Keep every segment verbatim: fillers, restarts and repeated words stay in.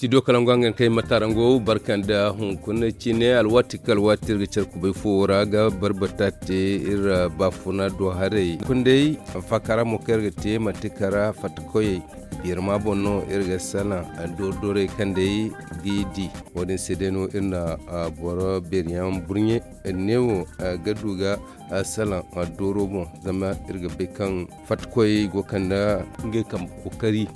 Studio kalangu hangan kay matarango barka nda hunkuna cine alwaati kala alwaati iri ga care kubay fo ra ga barbata te iri baafuna do haray kundey faakara mo kaŋ iri ga te manti kara fattakoyey birma boŋ no iri ga salaŋ dorodorey kaŋ day g'i di. Wo-din se day no iri na boro beeriyaŋ burɲe neewo ga du ga salaŋ dooro boŋ zama iri ga bay kaŋ fattakoyey go kande ngey kambe kookari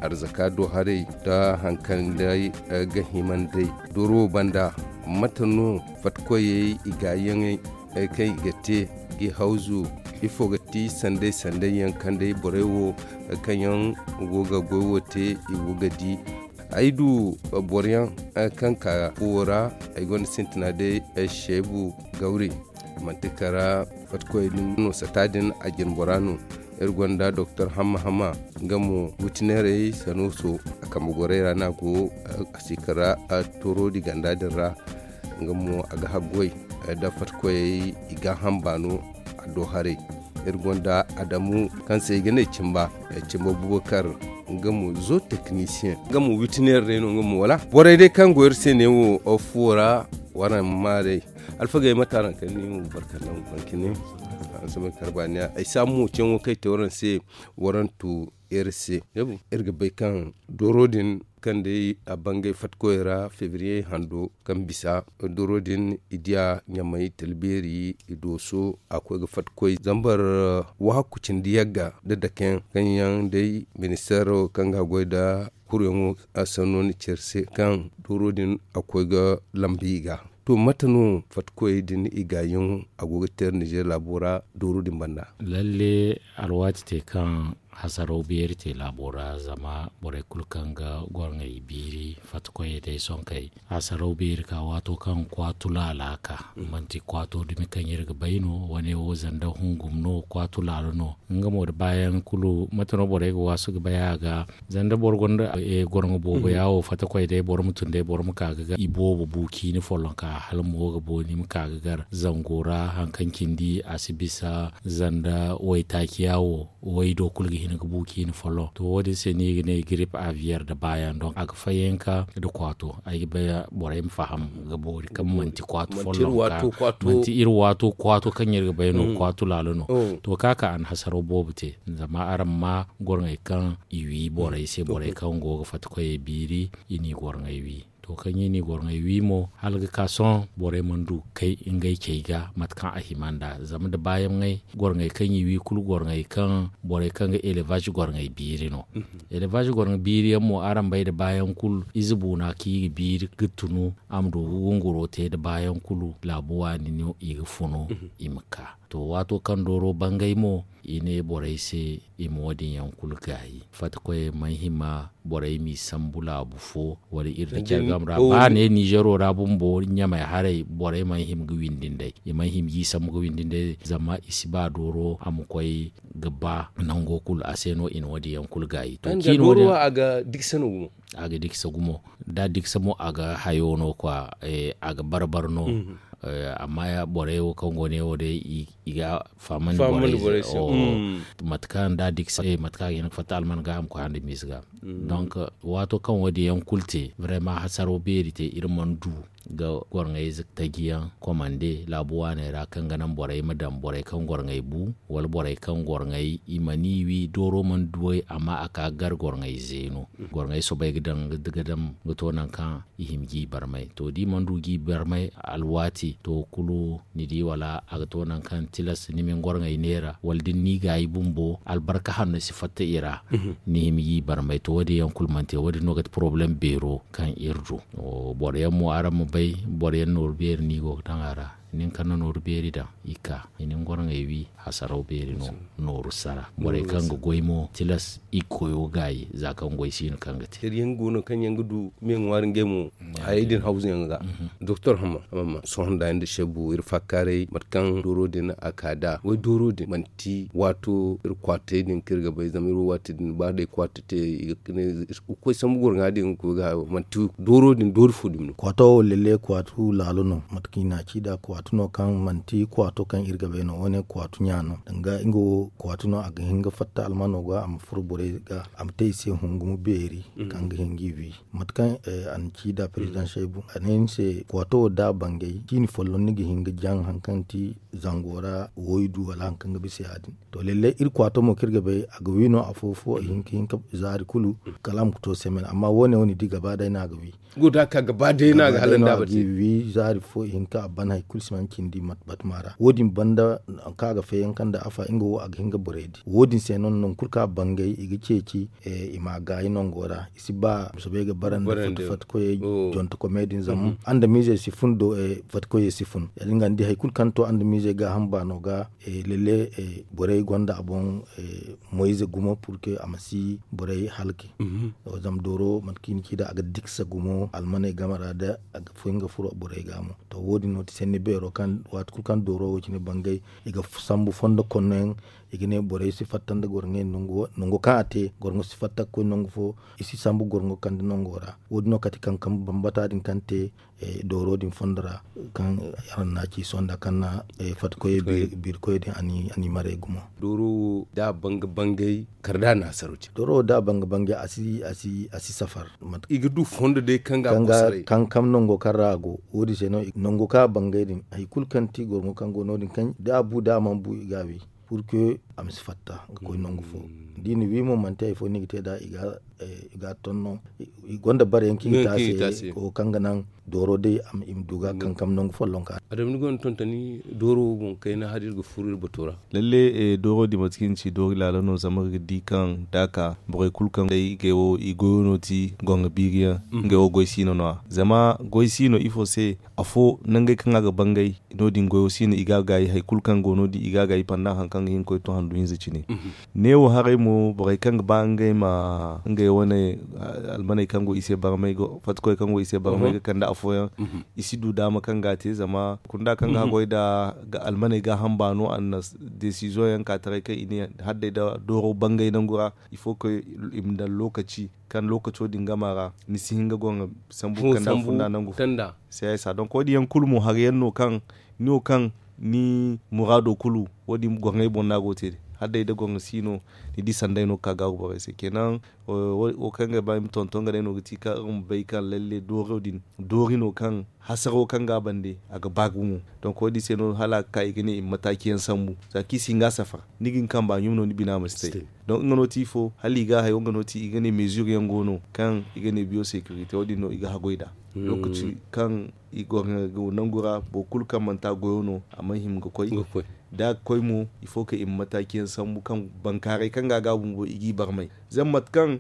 arzaka do haray nda hari kaŋ day ga hima nd'ey dooro wo banda. Mate no fattakoyey i gaayaŋey kaŋ i ga te g'i hawzu? Ifo ga ti sanday sanday yaŋ kaŋ day borey wo kaŋ yaŋ go ga goy wo te i go ga di? Ay du boro yaŋ kaŋ ka fuwo ra. Ay gonda sintina day seebu gawri manti kara fattakoy din no sata din a jine bora no. Iri gonda doktor hamma hamma nga mo witineerey sanuuso a kambe gorey ra no a go a si kara toorodi ganda din ra. Nga mo a ga haggoy nda fattakoyey i gaaham baano a do haray. Iri gonda adamu kaŋ se i ga ne cimba cimba bubakar nga mo zo teknisiyeŋ nga mo witineer day no nga mo wala borey day kaŋ go iri se ne wo fuwo ra. Waraŋ ma maa day alfagey mate araŋ kay ni mo barka nda hunkuna cine. Araŋ si may kar baaniya ay saabu mo ceeyaŋo kaŋ ay te waraŋ se. Waraŋ tu iri se iri ga bay kaŋ dooro din kaŋ day a bangay fattakoy ra febriye hando kaŋ bisa dooro din i diya ɲamay talbeeri i dooso a koy ga fattakoy zambar wahakku cindi yagga nda dakeyaŋ kaŋ yaŋ day ministeero kaŋ ga goy nda kuruyaŋo a sanno ni care se kaŋ dooro din a koy ga lambu i ga. To mate no fattakoyey din i gaayaŋo a go ga teeri nizeer laabo ra dooro din banda? Lalle alwaati te kaŋ hasaraw beeri te laabo ra zama borey kulu kaŋ ga gorŋey biiri fattakoyey day sonkey hasaraw beeri ka waato kaŋ kwaatu laala ka manti kwaato dumi kaŋ iri ga bay no wane wo zanda hungum no kwaatu laala no. Nga mo da baayaŋ kulu mate no borey ga waasu ga bay a ga zanda boro gonda gorŋo boobo ya wo fattakoy day boro ma tun day boro ma ka ga gar i boobo bu ciini folloŋ ka hala mo ga bo ni ma ka ga gar zango ra hari kaŋ cindi a si bisa zanda waytaaci ya wo way do kulu ga hin ga bu ciini folloŋ to wo- din se no i ga ne girip aviyeer nda baayaŋ donk a ga fayyanka nda kwaato ay ga bay borey ma faham ga boori kaŋ manti kwaatu folloŋ ka manti iri waato kwaato kaŋ iri ga bay no kwaatu laalo no. To ka ka a na hasaro boobo te zama araŋ ma gorŋey kaŋ i wi borey se borey kaŋ go ga fatta koyey biiri i n'i gorŋey wi. To kaŋ i n'i gorŋey wi mo hala ga ka sohõ borey mana du ga kay ngey cey ga mate kaŋ a hima nd'a zama nda baayaŋey gorŋey kaŋ i wi kulu gorŋey kaŋ borey kaŋ ga elevaz gorŋey biiri no. Elevaz gorŋey biiri yaŋ mo araŋ bay nda baayaŋ kulu ize buuna kaŋ i ga biiri ga tunu a ma du ga gunguro te nda baayaŋ kulu laabu waani no i ga funu i ma ka. To waato kaŋ dooro bangay mo i ne borey se i ma wo- din yaŋ kulu gaayi fatta koyey mana hima borey m'i sambu laabu fo wala iri nda care game ra ba ne nizero ra bumbo ɲamey haray borey mana hima ga windi nd'ey i mana hima g'i sambu ga windi nd'ey zama i si ba dooro a ma koy ga ba nango kulu a se no i na wo- din yaŋ kulu gaayi to ciino wo- din a ga diksa no gumo a ga diksa gumo da diksa mo a ga hayo no kwa a ga barbar no. Amma borey wo kaŋ go ne wo day i ga fahamandi borey se mate kaŋ da diksa mate kaŋ a ga hin ga fatta alman ga a ma koy handi miize ga. Donc waato kaŋ wo- din yaŋ kulu te vraiment hasaro beeri te iri mana du ga gorŋayze taji yaŋ komande laabu waaney ra kaŋ ga naŋ borey ma daŋ borey kaŋ gorŋay bu wala borey kaŋ gorŋay i mana i wi dooro mana duw'ey amma a ka ga gar gorŋay zeeno. Gorŋay soobay ga daŋ ga daŋ ga to nangu kaŋ i hima g'i barmay to da i mana du g'i barmay alwaati to kulu ni di wala a ga to nangu kaŋ tilas ni ma ni gorŋay neera wala da ni n'i gaayi bumbo albarka hanno si fatta i ra. Ni hima g'i barmay to wo- din yaŋ kulu mana te wo- din no ga ti porobalem beero kaŋ iri du. Boro yaŋ mo araŋ ma bay boro yaŋ nooru beeri no i go ga daŋ a ra nin kaŋ na nooru beeri daŋ i ka i na ni gorŋay wi hasaraw beeri no. Nooru sara borey kaŋ ga goy mo tilas i ga koyo gaayi za kaŋ goy si no kaŋ ga te. Hari yaŋ go no kaŋ yaŋ ga du me ŋwaari ngey mo hayey din hawzu yaŋ ga. Doktor hamma sohõ nda nda sebu iri faakaaray mate kaŋ dooro din a ka da way dooro din manti waato iri kwaatay din kaŋ iri ga bay zama iri wo waati din ba day kwaata te i ga koy sambu gorŋa din ga koy ga hayo manti dooro din doori fo dumi no. Kwaato wo lelle kwaatu laalo no mate kaŋ i na a ci nd'a kwaatu. Kwaatu no kaŋ manti kwaatu kaŋ iri ga bay no, wo- ne kwaatu ɲa no. Danga nga wo kwaatu no, a ga hin ga fatta almano ga, a ma furo borey ga, a ma te i se hungumo beeri kaŋ ga hin ga i wi. Mate kaŋ a na ci nda perezidaŋ shaybu, a ne ni se kwaato wo da a bangay, ciini folloŋ ni ga hin ga jaŋ hari kaŋ ti zango ra, waydu wala hari kaŋ ga bisa ya- din. To lallai iri kwaato mo kaŋ iri ga bay, a ga wi no afo fo, a hin ga hin ga zaari kulu, kala a ma ga to semen. Amma wo- ne wo ni di gaba day no a ga wi. Guda ka gaba day no a ga hala nda a bate. Wi zaari fo i hin ka a ban hari kulu si man cindi batma ra. Wo- din banda, kaŋ a ga feeyaŋ kaŋ da afa nga wo a ga hin ga borey di. Wo- din se no nangu kulu kaŋ a bangay i ga ceeci, i ma a gaayi nango ra. I si ba soobay ga bara nda fatta koyey, jonto komey din zama andamiizey si fun do. Fatta koyey si fun ya- din ga ni di hari kulu kaŋ to andamiizey gaaham baano ga. Lalle, borey gonda a boŋ moyze gumo purke a ma si borey halki. Zama dooro mate kaŋ i na ci nd'a a ga diksa gumo almaney game ra da a ga fun ga furo borey ga mo. To wo- din no ti sanni beero kaŋ waati kulu kaŋ dooro wo cine bangay, i ga sambu fondo konno yaŋ. I ga ne borey si fatta nda gorŋey nango kaŋ a te gorŋo si fatta ga koy nangu fo. I si sambu gorŋo kande nango ra. Wo- din no kate kankam bambata din kaŋ te dooro din fondo ra, kaŋ araŋ na ci sonda kaŋ na fatikoyey biiri koyey din a n'i maray gumo. Dooro wo da a banga bangay kala da a na hasaro ci. Dooro wo da a banga bangay a si safar. I ga du fondo day kaŋ ga a koy saray kankam nango kaŋ ra a go. Wo- din se no nango kaŋ a bangay din hari kulu kaŋ ti gorŋo kaŋ go no- din kaŋ da a bu da a mana bu i ga a wi. Purke a ma si fatta ga koy nangu fo. Da i na wi mo manti hari fo no i ga te nd'a. I ga a ton no. I gonda bare yaŋ kaŋ i ga te a se wo kaŋ ga naŋ dooro day i ma du ga kankam nangu folloŋ ka. Adama ni gonda tontoni dooro wo boŋ kayna hala iri ga furo iri bato ra. Lalle dooro din mate kaŋ ni ci doori laala no zama iri ga di kaŋ da a ka borey kulu kaŋ day i goyo no ti gorŋo biiri yaŋ. Ngey wo goy siino no- ya zama goy siino ifo se afo nangey kaŋ a ga bangay. No- din goyo siino i ga a gaayi hari kulu kaŋ go no- din i ga a gaayi pandan hari kaŋ ga hin ga koy to handu hinza cine. Neewo haray mo borey kaŋ ga ba ngey ma ngey wane almaney kaŋ go i se barmay fattikoy kaŋ go i se barmay ga kande afooyaŋ. I si du daama kaŋ ga a te zama kunda kaŋ ga haggoy nda almaney gaaham baano a na desiziyoŋ yaŋ ka taray kaŋ i ne hala day nda dooro bangay nangu ra. I fo koy i ma daŋ lookaci kaŋ lookaco din game a ra ni si hin ga gorŋo sambu kanda funda nangu fo. Seesa donk wo- din yaŋ kulu mo hari yaŋ no kaŋ ni wo kaŋ ni muraado kulu wo- din gorŋey boŋ no a go ga te. Hala day da gorŋo si no ni di sanday no ga ka gaaru borey se kenan. Wo kaŋ ga ba i ma tonton ga day no ga ti kaŋ iri ma bay kaŋ lalle dooro din doori no kaŋ hasaro kaŋ ga a bande a ga ba gumo. Donk wo- din se no hala a ga ka i ga ne i ma mataaci yaŋ sambu za kaŋ i si hin ga a safar ni ga ni kamba ɲum no ni bina ma si te. Donk nga no ti ifo hala i ga a hayo nga no ti i ga ne mezure yaŋ go no kaŋ i ga ne biyo securite wo- din no i ga haggoy nd'a. Lookaci kaŋ i go nangu ra boro kulu kaŋ manti a goyo no a mana hima ga koy. Da a ga koy mo il faut que i ma mataaci yaŋ sambu kaŋ bankaaray kaŋ ga a ga bumbo i g'i barmay. Zama mate kaŋ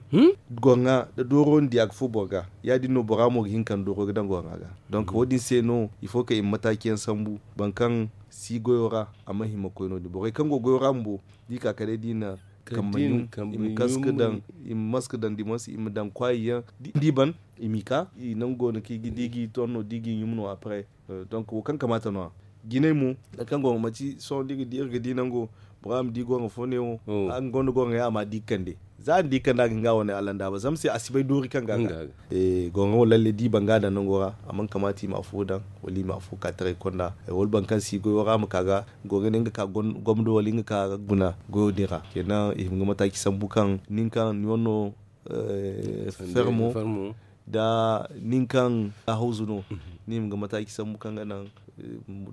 gorŋa nda dooro ni di a ga furo boro ga ya- din no bora mo ga hin ka ni dooro ga daŋ gorŋa ga. Donk wo- din se no il faut que i ma mataaci yaŋ sambu boro kaŋ si goyo ra a mana hima ga koy no- din borey kaŋ go goyo ra bumbo da i ka kala day da i na kambe ɲum i ma kaska daŋ i ma maska daŋ dimansi i ma daŋ kwaayi yaŋ da i ban i m'i ka i nangu go no kaŋ i ga di ga i ton no da i ga i ɲum no après. Donk wo kaŋ kamaata no- ya jinay mo nangu kaŋ gorŋo manti sohõ da iri ga di iri ga di nango bora ma di gorŋo fo neewo. Nga gonda gorŋo yaŋ a ma di ga kande za a na di ga kande a ga hin ga a wane allandaaba zama se a si bay doori kaŋ ga a ga. Gorŋo wo lalle da i ban ga a daŋ nango ra a mana kamaata i ma afo daŋ wala i ma afo ka taray konda wala boro kaŋ si goyo ra a ma ka ga goro ne nga ka gomdo wala nga ka guna goyo din ra kenan i hima ga mataaci sambu kaŋ nin kaŋ ni wane no fermo da nin kaŋ a hawzu no ni hima ga mataaci sambu kaŋ ga naŋ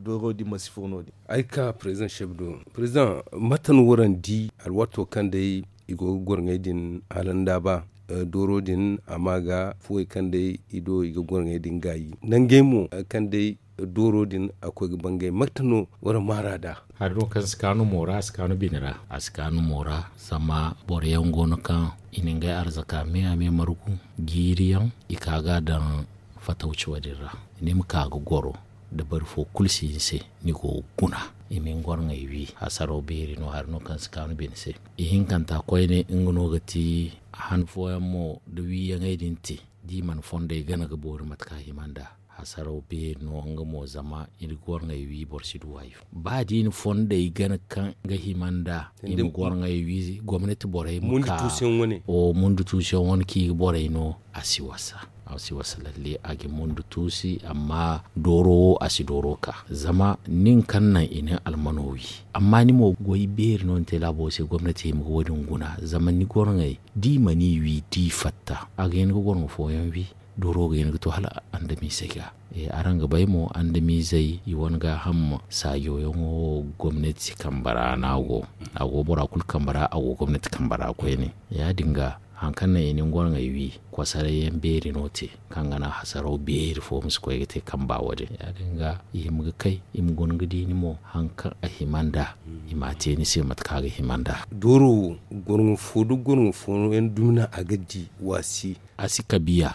dooro din ma si furo no- din. Ay ga ka president chef do president mate no waraŋ di alwaato kaŋ day i go ga gorŋey din hala nda ba dooro din a ma ga fuwey kaŋ day i do i ga gorŋey din gaayi nangey mo kaŋ day dooro din a koy ga bangay mate no waraŋ maara da. Hari no kaŋ si kaanu mo ra a si kaanu bine ra a si kaanu mo ra zama boro yaŋ go no kaŋ i na ngey arzaka me a me margu jiiri yaŋ i ka ga a daŋ fatawci wo- din ra ni ma ka ga goro da bari fo kulu si ni se ni go ga guna i ma ni gorŋey wi hasaro beeri no hari no kaŋ si kaanu bine se. Ihinkanta koyne nga no ga ti han fooyaŋ mo da wiiyaŋey din te da i mana fondey gana ga boori mate kaŋ a hima nd'a. Hasaraw beeri no nga mo zama iri gorŋey wi boro si du hayo. Ba da i na fondey gana kaŋ ga hima nd'a i ma gorŋey wi gomnati borey ma ka o mundu tuusiyaŋ wane kaŋ i ga borey no. A si wasa a si wasa lalle a ga mundu tuusi amma dooro wo a si dooro ka zama nin kaŋ naŋ i na almano wi. Amma ni mo goy beeri no ni te laabo se gomnati hima ga wo- din guna zama ni gorŋey da i mana i wi da i fatta a ga hin ga gorŋo fooyaŋ wi. Dooro ga hin ga to hala andamiizey ga. Araŋ ga bay mo andamiizey i wane gaaham saajo yaŋo gomnati kambe ra no a go. A go bora kulu kambe ra a go gomnati kambe ra koyne. Ya- din ga hari kaŋ naŋ i na ni gorŋey wi kosaray yaŋ beeri no te kaŋ ga naŋ hasaraw beeri fo ma si koy ga te kamba wo- din ya- din ga i hima ga kay i ma guna ga di ni mo hari kaŋ a hima nd'a. I m'a te ni se mate kaŋ a ga hima nd'a. Dooro wo gorŋo fo da gorŋo fo yaŋ dumi no a ga di waasi. A si kabiya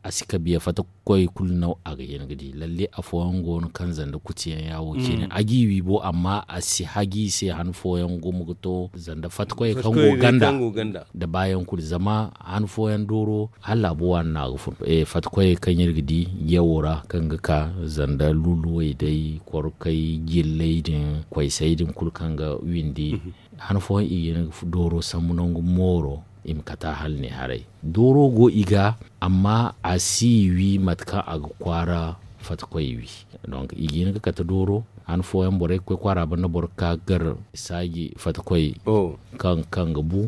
a si kabiya fatta koy kulu no a ga hin ga di lalle afooyaŋ go no kaŋ zanda kuti yaŋ ya wo cine a g'i wi bo amma a si hagi i se han fooyaŋ gumo ga to zanda fatta koy kaŋ go ganda. Da baayaŋ kulu zama han fooyaŋ dooro hala laabu waani no a ga fun fatta koy kaŋ iri ga di yawo ra kaŋ ga ka zanda luluwey day korkay jilley din koysay din kulu kaŋ ga windi. Han fooyaŋ i ga hin ga dooro sambu nangu mooro i ma kata hala ne haray. Dooro go i ga amma a si i wi mate kaŋ a ga kwaara fatta koy wi. Donk i ga hin ga kate dooro han fooyaŋ borey ga koy kwaara banda boro ga ka ga gar saaji fatta koy kaŋ ga bu.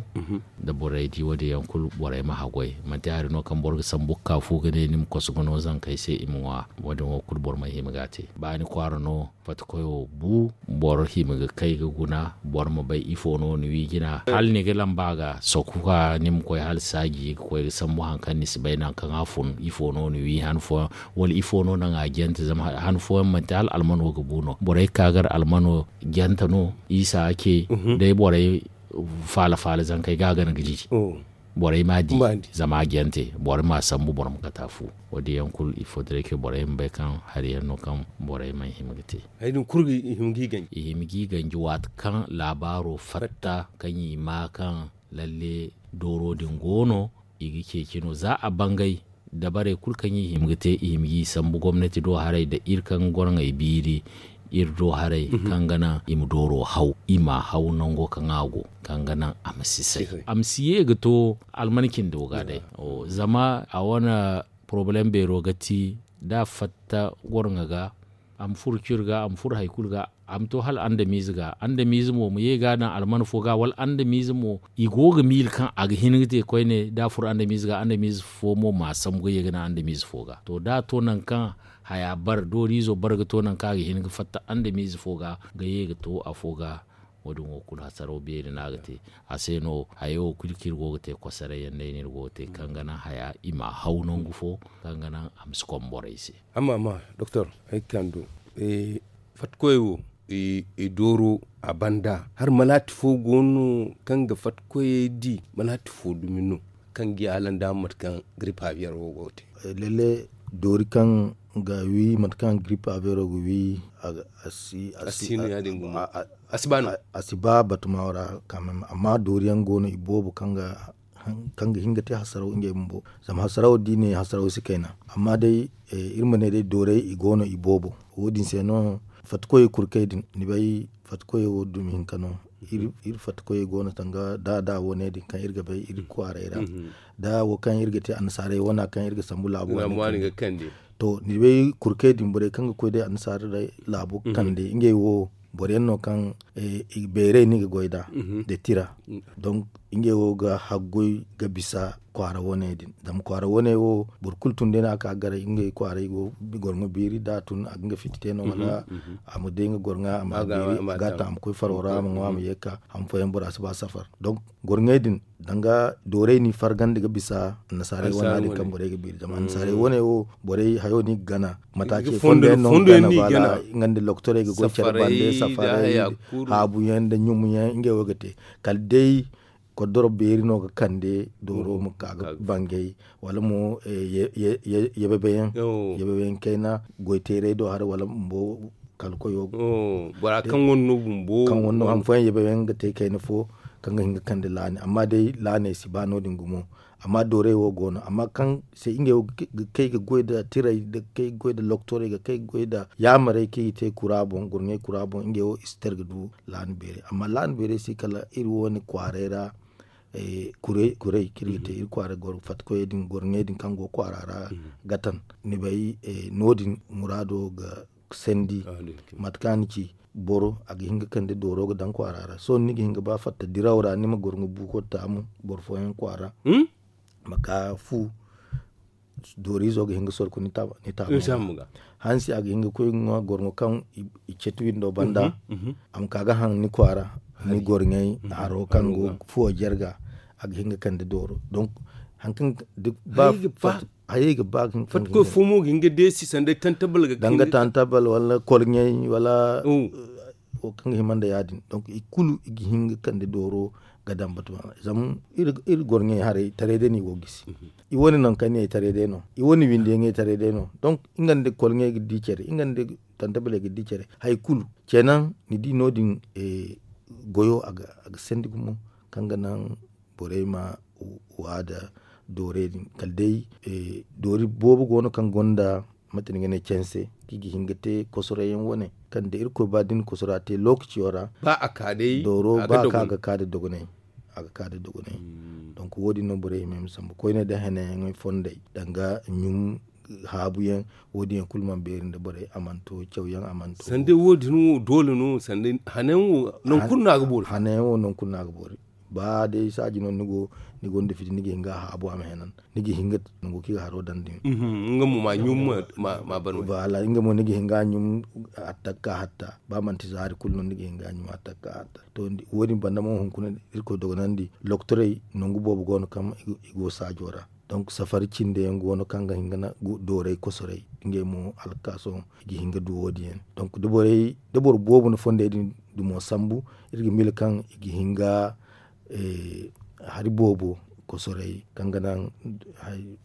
Da borey di wo- din yaŋ kulu borey ma haggoy manti hari no kaŋ boro ga sambu ga ka fu ga ne ni ma koso ga no zankey se i ma ŋwa. Wo- din wo kulu boro mana hima ga a te ba ni kwaara no fatta koyo bu boro hima ga kay ga guna boro ma bay ifo no ni wi jina hala ni ga lamba ga sokuka ni ma koy hala saaji ga koy ga sambu hari kaŋ ni si bay nangu kaŋ a fun ifo no ni wi han fooyaŋ wala ifo no naŋ a jante zama han fooyaŋ manti hala almano ga bu no borey ga ka gar almano jante no isa ce day borey faala faala zankey ga a gana ga jiji. Borey m'a di zama a jante boro ma a sambu boro ma kata fu. Wo- din yaŋ kulu il faut dire que borey ma bay kaŋ hari yaŋ no kaŋ borey mana hima ga te. Hari din kulu i hima g'i ganji i hima g'i ganji waati kaŋ laabaaro fatta kaŋ i ma kaŋ lalle dooro din go no i ga ceeci no za a bangay dabarey kulu kaŋ i hima ga te i hima g'i sambu gomnati do haray nda iri kaŋ ga gorŋey biiri iri do haray kaŋ ga naŋ i ma dooro haw i m'a haw nango kaŋ a go kaŋ ga naŋ a ma si say a ma si ye ga to almankin do ga day. Zama a wane porobalem beero ga ti da a fatta gorŋa ga a ma furo ciri ga a ma furo hari kulu ga a ma to hala andamiize ga andamiize mo ma ye ga a daŋ almana fo ga wala andamiize mo i go ga miila kaŋ a ga hin ga te koyne da a furo andamiize ga andamiize fo mo m'a sambu ga ye ga naŋ andamiize fo ga to da a to nangu kaŋ haya bar dooriizo bar ga to nangu kaŋ a ga hin ga fatta andamiize fo ga ga ye ga to afo ga. Wo- din wo kulu hasaraw beeri no a ga te a se no hayo wo kulu kaŋ iri go ga te kosoray yaŋ day no iri go ga te kaŋ ga naŋ haya i m'a haw nangu fo kaŋ ga naŋ a ma si kom borey se. Amma amma doktor ay ga ka ni do fatta koyey wo i dooro a banda hala malaati fo go no kaŋ ga fatta koyey di malaati fo dumi no kaŋ ga i hala nda mate kaŋ giripa biyar wo go ga te. Lalle doori kaŋ ga wi mate kaŋ giripa biyaro ga wi a si a si no ya- din gumo a si ba no a si ba batuma wo ra. Amma doori yaŋ go no i boobo kaŋ ga kaŋ ga hin ga te hasaraw ngey bumbo zama hasaraw da i ne hasaraw si kayna. Amma day iri ma ne day doorey i go no i boobo wo- din se no fatta koyey kurkey din ni bay fatta koyey wo dumi hinka no. Iri fatta koyey go no tanga da da wane din kaŋ iri ga bay iri kwaaray ra da wo kaŋ iri ga te annasaarey wana kaŋ iri ga sambu laabo wane din to ni bay kurkey din borey kaŋ ga koy day annasaarey laabo kande ngey wo boro yaŋ no kaŋ beeray no i ga goy nd'a da tira. Donk ngey wo ga haggoy ga bisa kwaara wane din zama kwaara wane wo boro kulu tun day no a ka ga garay ngey kwaaray go gorŋo beeri da a tun a ga nga fitti te no wala a ma day nga gorŋa a ma beeri a ga a taŋ a ma koy faro ra a ma ŋwa a ma ye ga ka han fooyaŋ bora si ba safar. Donk gorŋey din danga doorey no i fargandi ga bisa annasaarey wane din kaŋ borey ga beeri zama annasaarey wane wo borey hayo no i ga gana matace fondo yaŋ no nga nda lokotorey ga goy care bande safarey haabu yaŋ nda ɲumu yaŋ ngey wo ga te kala day koddoro beeri no ga kande dooro ma ka ga bangay wala mo yabebe yaŋ kayna goy teeray do haray wala bumbo kala koyo bora kaŋ wane no bumbo kaŋ wane no han fooyaŋ yabebe yaŋ ga te kayna fo kaŋ ga hin ga kande laani. Amma day laaney si ba no- din gumo. Amma doorey wo go no amma kaŋ se ngey wo ga kay ga goy nda tirey ga kay ga goy nda loktorey ga kay ga goy nda yaamarey kaŋ i ga te kura boŋ gorŋey kura boŋ ngey wo i si te iri ga du laani beeray amma laani beeray se kala iri wo- ne kwaaray ra. Kurey kaŋ iri ga te iri kwaara goro fatta koyey din gorŋey din kaŋ go kwaara ra, ga taŋ ni bay no- din muraado ga sandi. Mate kaŋ a na ci boro a ga hin ga kande dooro ga daŋ kwaara ra sohõ ni ga hin ga ba fatta diraw ra ni ma gorŋo buuko taamu boro fooyaŋ kwaara. Ma ka fu dooriizo ga hin ga sorku ni taaba. Hansi a ga hin ga koy ga ŋwa gorŋo kaŋ i cati windo banda. A ma ka ga haŋ ni kwaara ni gorŋey haro kaŋ go fuwo jarga. A ga hin ga kande dooro donk hari kaŋ hayey ga ba ga hin ga koy fo mo ga hin ga deesi sanda tantabal ga danga tantabal wala kolɲey wala wo kaŋ ga hima nda ya- din donk i kulu i ga hin ga kande dooro ga daŋ batama zama iri gorɲey haray taray day no i go ga gisi. I wane nangu kaŋ ne ay taray day no i wane windi yaŋ ay taray day no donk nga nda kolɲey ga di care nga nda tantabaley ga di care hari kulu. Ceenaŋ ni di no- din goyo a ga sandi gumo kaŋ ga naŋ borey ma wa nda doorey din kala day doori boobo go no kaŋ gonda mate ni ga ne canse kaŋ i ga hin ga te kosoray yaŋ wane kaŋ da irkoy ba da ni kosora te lookaciyo ra. Dooro ba a ka ga ka nda dogonay. A ga ka nda dogonay donk wo- din no borey hima ay ma sambu koyne nda hene yaŋ fondey danga ɲum haabu yaŋ. Wo- din yaŋ kulu mana beeri nda borey a mana to caw yaŋ a mana to sanda wo- din wo doole no sanda hane yaŋ wo nangu kulu no a ga boori. Ba day saaji no ni go ni gonda fiti ni ga hin ga a haabu a ma henan ni ga hin ga nango kaŋ i ga haro daŋ din. Nga mo ma ɲum ma ban wala nga mo ni ga hin ga a ɲum. Atta ga ka hatta ba manti zaari kulu no ni ga hin ga a ɲum atta ga ka hatta. To wo- din banda mo hunkuna irkoy dogonandi lokotorey nangu boobo go no kaŋ i go saajo ra. Donk safari cinde yaŋ go no kaŋ ga hin ga dooray kosoray ngey mo hala ga ka sohõ i ga hin ga du wo- din yaŋ. Donk da boro boobo na fondey din dumo sambu iri ga miila kaŋ i ga hin ga hari boobo kosoray kaŋ ga naŋ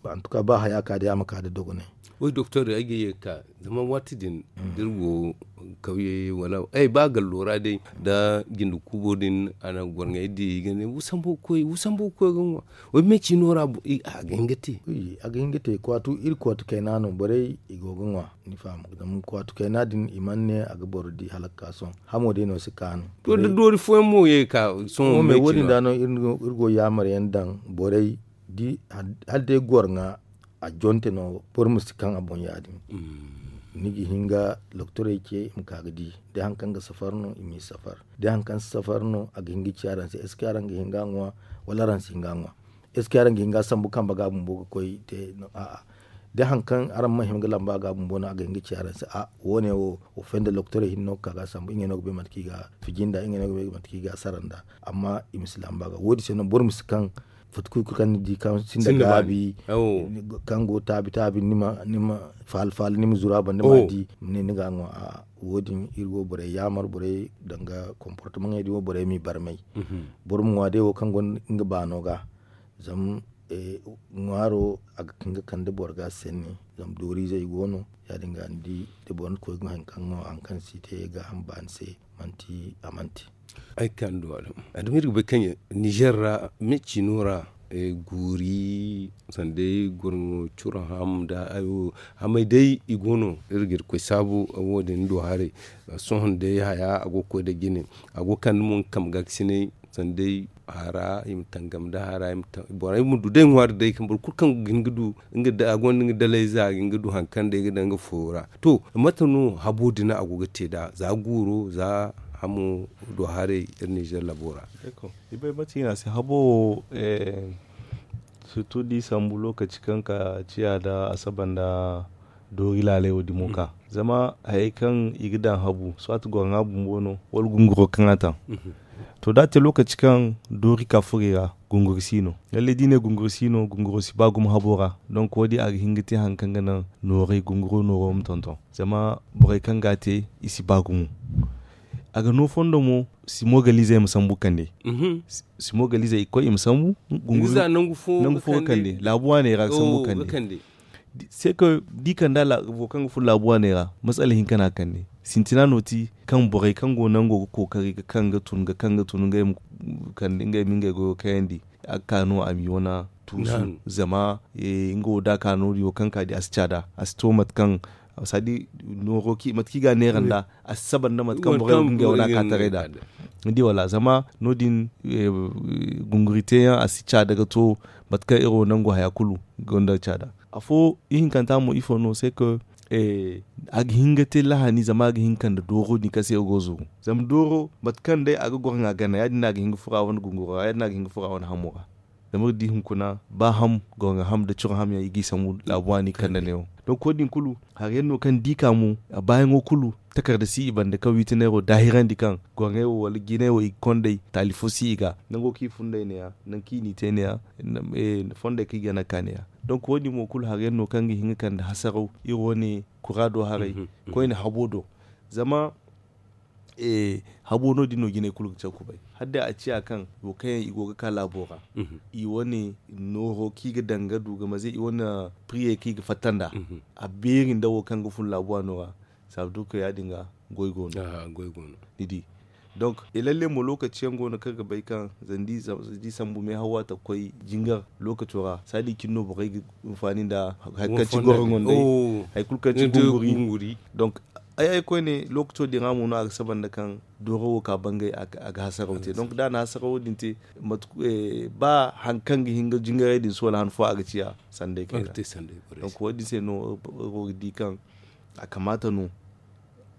antuka ba haya ka day a ma ka nda dogonay. Woy doktor ay ga ye ga ka zama waati din da iri go kawye wala ay ba gallo ra day nda jinde kuubo din a na gorŋey di i ga ne wu sambu ga koy wu sambu ga koy ga ŋwa. Woy me ciino ra a ga hin ga te. A ga hin ga te kwaatu iri kwaatu kayna no borey i go ga ŋwa. Ni faham zama kwaatu kayna din i mana ne a ga boro di hala ga ka sohõ. Hamo day no si kaanu. To da doori fooyaŋ mo ye ga ka sohõ me wo- din da no iri go yaamar yaŋ daŋ borey hala day gorŋa a jonte no boro ma si kaŋ a boŋ ya- din. Ni ga hin ga lokotorey ce i ma ka ga di day hari kaŋ ga safar no i m'i safar day hari kaŋ si safar no a ga hin ga ci araŋ se est ce que araŋ ga hin ga a ŋwa? Wala araŋ si hin ga a ŋwa? Est ce que araŋ ga hin ga a sambu kambe ga bumbo ga koy te? A'a. Day hari kaŋ araŋ mana hima ga lamba ga bumbo no a ga hin ga ci araŋ se a wo- ne wo wo fay nda lokotorey hinne no ga ka ga a sambu ngey no ga bay mate kaŋ i ga a fiji nd'a ngey no ga bay mate kaŋ i ga a sara nd'a. Amma i ma si lamba ga wo- din se no boro ma si kaŋ fatta kulu kulu kaŋ ni di kaŋ sinda gaabi kaŋ go taabi taabi ni ma faala faala ni ma zuru a banda ma di ma ne ni ga a ŋwa. A'a. Wo- din iri go borey yaamar borey danga komportamaŋey din wo borey m'i barmay. Boro ma ŋwa day wo kaŋ gonda nga baano ga zama ŋwaaro a ga hin ga kande boro ga sanni. Zama dooriizey go no ya- din ga ni di da boro na koy ga hari kaŋ no hari kaŋ si te gaaham baani se manti a manti. Ay ga ka ni du a dama iri ga bay kaŋ ninzeer ra me ciino ra guuri sanday gorŋo curo ham nda hayo hamay day i go no iri ga iri koy saabu wo- din ni du haray. Sohõ day haya a go ga koy nda jine a go ga kande mo nga kambe ga ga sinay sanday hara i ma tangam nda hara borey ma du day ŋwaari day kaŋ boro kulu kaŋ ga hin ga du nga a gonda nga dalayza a ga hin ga du hari kaŋ day ga daŋ nga fooyo ra. To mate no habo din a go ga te nd'a za guuro za hamo du haray iri ninzeer labo ra? I bay mate i ne a se habo wo sirtu da i sambu lookaci kaŋ ka ciya nda asaba nda doori laalay wo dimo ka zama hayey kaŋ i ga daŋ habu soit gorŋa bumbo no wala gunguro kaŋ a taŋ. To da a te lookaci kaŋ doori ka furo i ra gunguro si no. Lallay da i ne gunguro si no gunguro si ba gumo habo ra donk wo- din a ga hin ga te hari kaŋ ga naŋ nooray gunguro nooro ma tonton zama borey kaŋ ga a te i si ba gumo. A ga no fondo mo simogalizey ma sambu kande. Simogalizey i ga koy i ma sambu nangu fo ga kande laabu waaney ra ga sambu kande. Se ka di kanda wo kaŋ ga furo laabu waaney ra matsala hinka no a kande. Sintina no ti kaŋ borey kaŋ go nango ga kookari ga kaŋ ga tun ga kaŋ ga tun ngey ma Kala ngey ma ngey goyo kayandi. A ga ka no a m'i wane tuusu. Zama nga wo da a ka no- din wo kaŋ ka di a si caada, a si to mate kaŋ, sadi nooro mate kaŋ i ga a neera nd'a, a si saba nda mate kaŋ borey wo ga ngey wane a ka taray nd'a. Ni di wala zama no- din, gunguri teeyaŋ a si caada ga to mate kaŋ iri wo nangu haya kulu gonda caada. Afo ihinkanta mo ifo no se ka a ga hin ga te lahani zama a ga hin ga kande dooro din kaŋ se iri go ga zuru. Zama dooro mate kaŋ day a ga goro ŋwa gana ya- din no a ga hin ga furo a wane gunguro ra ya- din no a ga hin ga furo a wane hamo ra. Zama iri di hunkuna ba ham goro ŋwa ham nda coro ham yaŋ i g'i sambu laabu waani ga kande neewo. Donk wo- din kulu hari yaŋ no kaŋ ni di ka mo a baayaŋo kulu takarda si i banda kaŋ wiiti neero daahirandi kaŋ goro ŋway wo wala jinay wo i ga kond'ey taali fo si i ga nango kaŋ i fund'ey neeya, nangu kaŋ i n'i te neeya, fondey kaŋ i ga naŋ ga ka neeya. Donk wo- din mo kulu hari yaŋ no kaŋ ga hin ga kande hasaraw iri wane kura do haray koyne habo do. Zama habo no- din no jinay kulu ga caw kubay hala day a ciya kaŋ wo kaŋ yaŋ i go ga ka laabo ra, i wane nooro kaŋ i ga daŋ ga du ga maze i wane piriyey kaŋ i ga fatta nd'a. A beeri nda wo kaŋ ga fun laabuwa no ra. Saabu du kaŋ ya- din ga goy go no. Ni di. Donk lalle mo lookaci yaŋ go no kaŋ ga bay kaŋ zama da i sambu meehaw waati ga koy jingar lookaco ra saadi cine no borey ga hinfaani nda hari kaŋ ci goro ŋwandey, hari kulu kaŋ ci gunguri. Donk ay ay koyne lookaco din ra mo no a ga saba nda kaŋ dooro wo ka bangay a ga hasaraw te. Donk da a na hasaraw din te ba hari kaŋ ga hin ga jingaray din si wala han fo a ga ciya sanday kayna. Donk wo- din se no iri go ga di kaŋ a kamaata no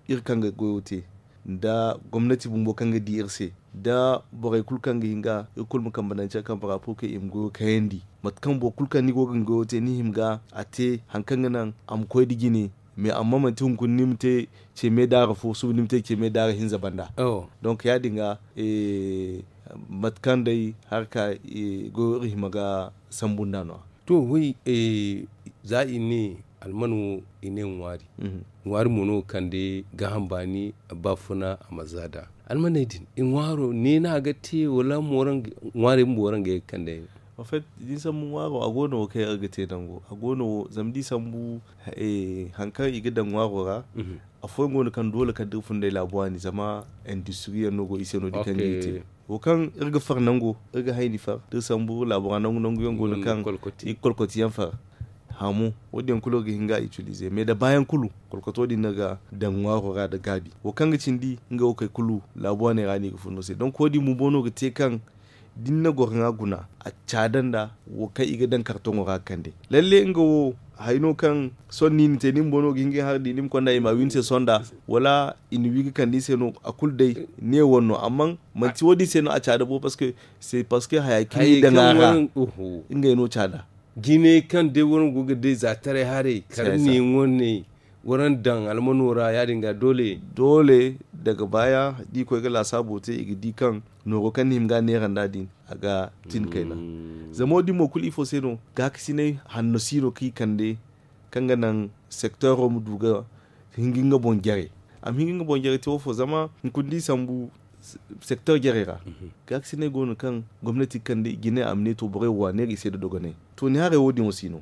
iri kaŋ ga goyo te nda gomnati bumbo kaŋ ga di iri se nda borey kulu kaŋ ga hin ga iri kulu ma kambe naŋ care kaŋ bora pour que i ma goyo kayandi. Mate kaŋ boro kulu kaŋ ni go ga ni goyo te ni hima ga a te hari kaŋ ga naŋ a ma koy nda jine. Mais amma manti hunkuna ni ma te ce meedaara fo suba ni ma te ce meedaara hinza banda. Donk ya- din ga mate kaŋ day harka goyo iri hima ga sambu nd'a no- ya. To way za i ne alman wo i ne ŋwaari. Ŋwaari mo no ga kande gaaham baani baafuna a ma za nd'a. Almaney din i ŋwaaro ne no a ga te wala ŋwaarey bumbo waraŋ ga ye ga kande? An fait da ni sambu ŋwaaro a go no wo kaŋ yaŋ iri ga te nango a go no wo zama da i sambu hari kaŋ i ga daŋ ŋwaaro ra. Afooyaŋ go no kaŋ doole kala da iri fun day laabu waani zama industiri yaŋ no go i se no- din kaŋ ga i te. Wo kaŋ iri ga far nango iri ga hayni far da iri sambu iri laabu ra nangu nangu yaŋ go no kaŋ i ga kolkoti yaŋ far. Hamo wo- din yaŋ kulu iri ga hin ga a itilize mais da baayaŋ kulu kolkoto din no ga daŋ ŋwaaro ra nda gaabi wo kaŋ ga cindi nga wo kay kulu laabu waaney ra no i ga fun no se donk wo- din bumbo no ga te kaŋ da ni na goro ŋwa guna a caada nda wo kaŋ i ga daŋ kartoŋo ra ga kande. Lalle nga wo hari no kaŋ sohõ no i na te ni bumbo no ga hin ga ay hari di ni ma konda i ma a wi ni se sohõ nda wala i na wi ga kande ni se no a kulu day ne wane no amma manti wo- din se no a caada bo parce que c'est parce que haya kaŋ i daŋ a ra ngey no caada. Jinay kaŋ day waraŋ go ga day za taray haray kala ne wane waraŋ daŋ almano ra ya- din ga doole. Doole daga baaya da i koy ga laasaabo te i ga di kaŋ nooro kaŋ ni hima ga a neera nd'a din a ga tin kayna. Zama wo- din mo kulu ifo se no gaakasinay hanno si no kaŋ i kande kaŋ ga naŋ sekteero ma du ga hinga nga boŋ jare. A ma hinga nga boŋ jare te wo fo zama hunkuna da i sambu sekteer jarey ra gaakasinay go no kaŋ gomnati ga kande i ga ne a ma ne to borey wo a neera i se nda dogonay. To ni haray wo- din wo si no.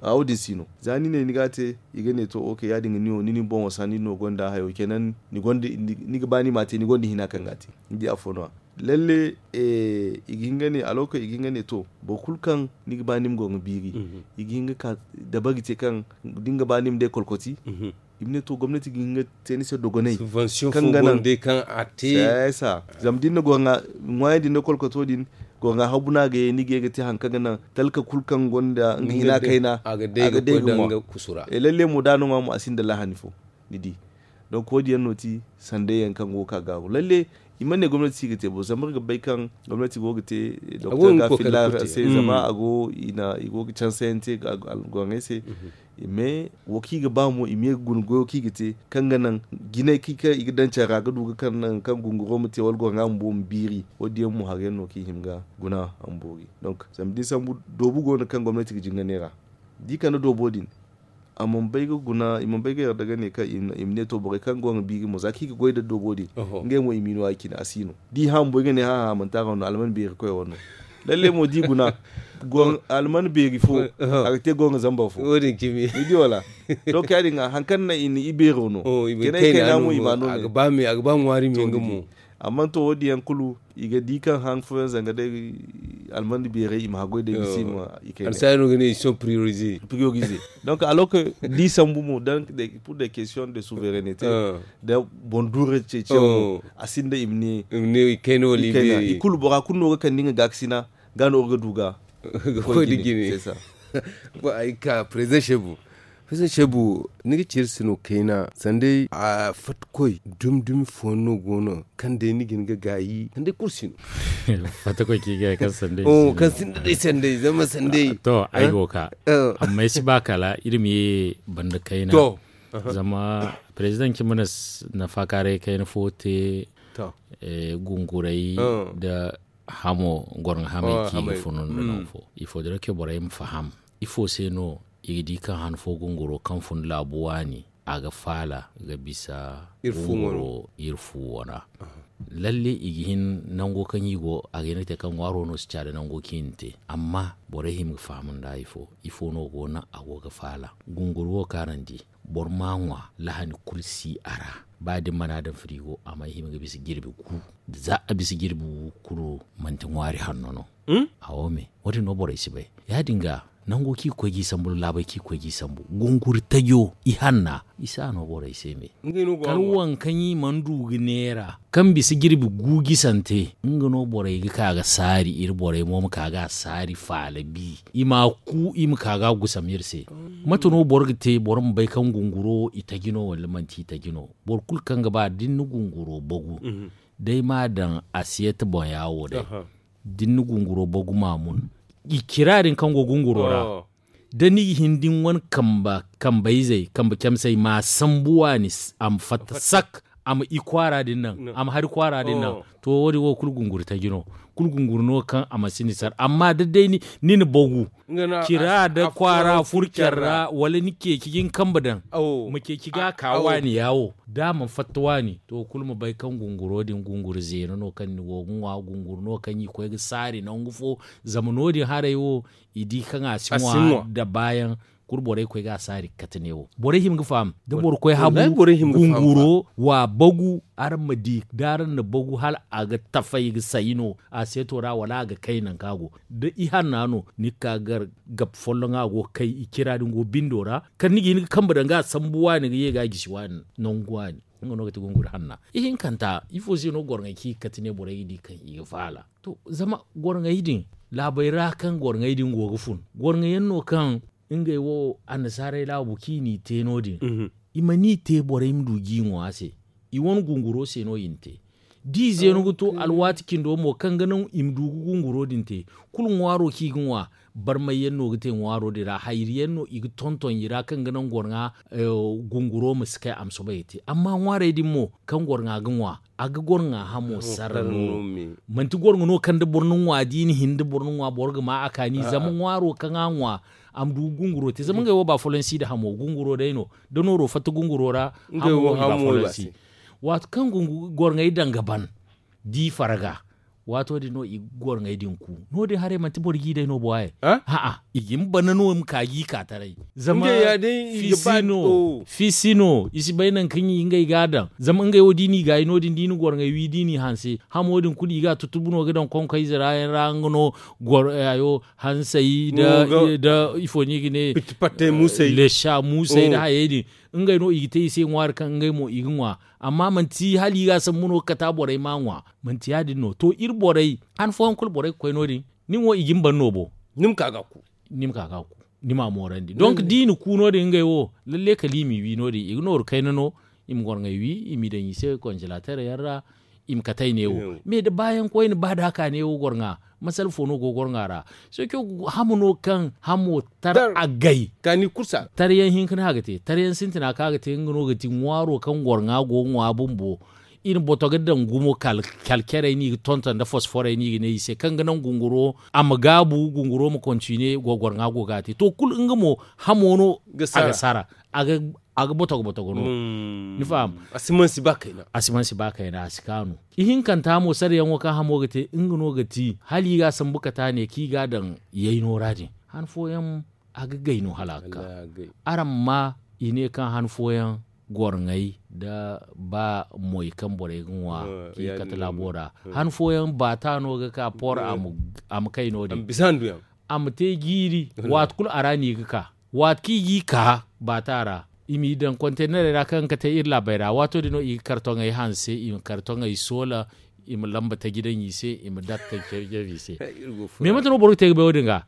A wo- din si no za ni ne ni ga a te i ga ne to ok ya- din ga ni wo ni na ni boŋo sanni no gonda hayo kenan ni ga ba ni ma a te ni gonda hina kaŋ ga a te. Ni di afo no- ya lalle i ga hin ga ne alawkay i ga hin ga ne to boro kulu kaŋ ni ga ba ni ma goro ga biiri i ga hin ga ka dabari te kaŋ da ni ga ba ni ma day kolkoti. I ma ne to gomnati ga hin ga te ni se dogonay kaŋ ga naŋ. Zama da ni na goro ga ŋwaayandi ni na kolkoto din goro ga habu no a ga ye ni ga ye ga te hari kaŋ ga naŋ talka kulu kaŋ gonda nga hina kayna a ga day ga ŋwa. Lalle mo da a na ŋwa mo a sinda lahani fo. Ni di donk wo- din yaŋ no ti sanday yaŋ kaŋ go ga ka gaaru lalle. I mana ne gomnati si ga te bo zama iri ga bay kaŋ gomnati go ga te doktor ga filla se zama a go i go ga canse yaŋ te ga algoraŋey se. Mais wo kaŋ i ga ba mo i ma ye ga guna goyo kaŋ i ga te kaŋ ga naŋ jinay kaŋ i ga daŋ care ra ga du ga kaŋ naŋ kaŋ gunguro ma te wala goro ŋwa bumbo ma biiri wo- din yaŋ mo hari yaŋ no kaŋ i hima ga guna a ma boori. Donk zama da ni sambu doobu go no kaŋ gomnati ga jinganay ra da i kande doobo din a mana bay ga guna i mana bay ga yarda ga ne kaŋ i ma ne to borey kaŋ go ga biiri mo za kaŋ i ga goy nda doobo din ngey mo i m'i no ya- cine a si no da i hã bumbo i ga ne hã hã manti a ra no alman beeri koy wano. Lalle mo da i guna alman beeri fo a ga te go ga zambar fo. Ni di wala? Donk ya- din ga hari kaŋ naŋ i na i beero no kayna mo i ma no a ga ba ŋwaari me nga mo. Amma to wo- din yaŋ kulu i ga di kaŋ han fooyaŋ zanga day almandi beeray i ma haggoy day bisa i ma i kay. Alsaari no ga ne ils sont priorisés. Priorisés. Donc alors que da i sambu mo pour des questions de souveraineté, da boŋ duure ceeciyaŋo, a sinda i ma ne i kulu bora kulu no ga kande nga gaakasina ga no ga du ga ga koy da jine. Ay ga ka président shebu. Président shebu, ni ga ci iri se no kayna sanday a fatta koy dumi dumi fooyaŋ no go no kaŋ day ni ga hin ga gaayi sanday kulu si no. Fatta koy kaŋ i ga kaŋ sanday kaŋ sinda day sanday zama sanday to ay go ga ka. Amma ay si ba kala iri ma ye banda kayna. Zama président cimina nafa kaaray kayna fo te. Gunguray nda hamo gorŋa hamey kaŋ i ga funu nda nangu fo ifo dira kaŋ borey ma faham ifo se no i ga di kaŋ han fo gunguro kaŋ fun laabu waani a ga faala ga bisa iri fu wana. Lalle i ga hin nango kaŋ i go a ga hin ga te kaŋ ŋwaaro no si caada nango kaŋ i na te. Amma borey hima ga faham nda ifo ifo no go no a go ga faala gunguro wo kaŋ araŋ di boro ma a ŋwa lahani kulu si a ra. Ba da ni mana daŋ firigo a ma hima ga bisa jirbi gu. Za a bisa jirbi gu kulu manti ŋwaari hanno no. Awo me wo- din no borey si bay. Ya- din ga nango kaŋ i ga koy ga i sambu nda laabey kaŋ i ga koy ga i sambu gunguri tajo i hanna i si a no borey se me. Kala waŋ kaŋ i mana du ga neera kaŋ bisa jirbi gu gisante nga no borey ga ka ga saari iri borey mo ma ka ga a saari faala bi i ma a ku i ma ka ga a gusam iri se. Mate no boro ga te boro ma bay kaŋ gunguro i taji no wala manti i taji no? Boro kulu kaŋ ga ba da ni na gunguro bagu day ma a daŋ asiyete boŋ yaawo day da ni na gunguro bagu ma a mun i cira din kaŋ go gunguro ra da ni ga hin da ni wane kambayzey kambe camsey ma a sambu waani a ma fatta sak a ma i kwaara din naŋ a ma hari kwaara din naŋ. To wo- din wo kulu gunguri taji no. Kulu gunguri no kaŋ a ma si ni sar amma da day ni na bagu cira da kwaara furu care ra wala ni ceeci ga ni kambe daŋ ma ceeci ga a ka waani yaawo da a mana fatta waani to kulu ma bay kaŋ gunguro din gunguri zeeno no kaŋ ni go ga ŋwa gunguri no kaŋ i koy ga saari nangu fo. Zama no- din haray wo i di kaŋ a si ŋwa nda baayaŋ. Kulu borey koy ga a saari ga kate neewo borey hima ga faham da boro koy habu gunguro wa bagu araŋ ma di da araŋ na bagu hala a ga tafay ga sayi no a seeto ra wala a ga kay nangu kaŋ a go da i hanna no ni ga ka gar gab folloŋ a go ga kay i cira din go bindo ra kala ni ga hin ga kambe daŋ ga a sambu waani ga ye ga a gisi waani nangu waani. Nga no ga ti gunguri hanna ihinkanta ifo se no gorŋey kaŋ i ga kate ne borey ga di kaŋ i ga faala. To zama gorŋey din laabey ra kaŋ gorŋey din go ga fun gorŋey yaŋ no kaŋ ngey wo annasaarey laabu kaŋ i n'i te no- din i mana i te borey ma du ga i ŋwa se. I wane gunguro se no i na te da i zeenu ga to alwaati cindo mo kaŋ ga naŋ i ma du ga gunguro din te. Kulu ŋwaaro kaŋ i ga ŋwa barmay yaŋ no ga te ŋwaaro din ra hayri yaŋ no i ga tonton i ra kaŋ ga naŋ gorŋa gunguro ma si kay a ma soobay ga te amma ŋwaarey din mo kaŋ gorŋa ga ŋwa a ga gorŋa hamo sarra no. Manti gorŋa no kaŋ da boro na ŋwa da i na hin da boro na ŋwa boro ga ma a kaani zama ŋwaaro kaŋ a ŋwa a ma du ga gunguro te zama ngey wo ba folonsi nda hamo gunguro day no da nooro fatta gunguro ra. Hamo no i ba folonsi. Waati kaŋ gorŋey daŋ ga ban da i farga waato din no i ga gorŋey din ku. No- din haray manti boro ga i day no bo haye. A'a i ga ni bana no ma ka ga i ka taray. Zama fiisi no i si bay nangu kaŋ i ngey ga a daŋ zama ngey wo da i n'i gaayi no- din da i na gorŋey wi da i n'i hanse hamo din kulu i ga a tutubu no ga daŋ konkayze ra yaŋ ra nga no. Gorŋey hayo hansey da ifo no i ga ne lesa muusey da hayey din. Ngey no i ga te i se ŋwaari kaŋ ngey mo i ga ŋwa. Amma manti hala i ga a sambu no ga kata borey ma a ŋwa. Manti ya- din no to iri borey han fooyaŋ kulu borey ga koy no- din. Nin wo i ga ni ban no bo ni ma ka ga a ku. Ni ma moorandi donk da i na ku no- din ngey wo lalle kala i m'i wi no- din i ga nooru kayna no. I ma gorŋey wi i m'i daŋ i se konjelater yaŋ ra. I ma katay neewo me da baayaŋ koyne ba da a ka neewo gorŋa. Masala fo no go gorŋa ra. Soco hamo no kaŋ hamo tar a gay. Taryaŋ hinka no a ga te taryaŋ sintina kaŋ a ga te nga no ga ti ŋwaaro kaŋ gorŋa go ŋwa bumbo. I na boto ga daŋ gumo kala carey no i ga tonton nda fosforey no i ga ne i se kaŋ ga naŋ gunguro a ma gaabu gunguro ma kontine go gorŋa go ga a te to kulu nga mo hamo no a ga sara. A ga botogo botogo no. Ni faham? A si mansi ba kayna a si kaanu. Ihinkanta mo sarayaŋo kaŋ hamo ga te nga no ga ti hala i ga a sambu kata ne kaŋ i ga a daŋ yayno ra din. Han fooyaŋ a ga gay no hala a ga ka. Araŋ ma i ne kaŋ han fooyaŋ gorŋey nda ba moy kaŋ borey ga ŋwa k'i kate laabo ra. Han fooyaŋ baata no ga ka por a ma kay no- din a ma te jiiri. Waati kulu a ra no i ga ka waati kaŋ i g'i ka baata ra. I m'i daŋ kontenerey ra kaŋ ga kate iri laabey ra waato din no i ga kartoŋey hanse i ma kartoŋey soola i ma lamba taji daŋ i se i ma datta care care i se. Mais mate no boro ga te ga bay wo- din ga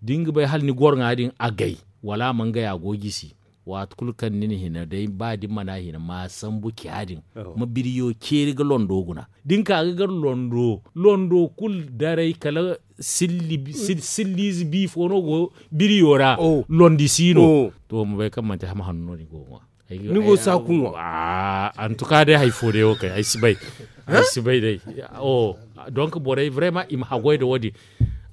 da ni ga bay hala ni gorŋa din a gay wala a mana gay a go gisi. Waati kulu kaŋ ni na hina day ba da ni mana hina ma sambu ciya din ma biriyo ceeri ga londo guna da ni ka ga gar londo londo kulu daray kala silliize bi fo no go biriyo ra. Londi si no to ma bay kaŋ manti hama hanno no ni go ga ŋwa. Ni go saaku ŋwa. Antuka day hari fo day wo kay ay si bay. Ay si bay day. Donk borey vraiment i ma haggoy nda wo- din.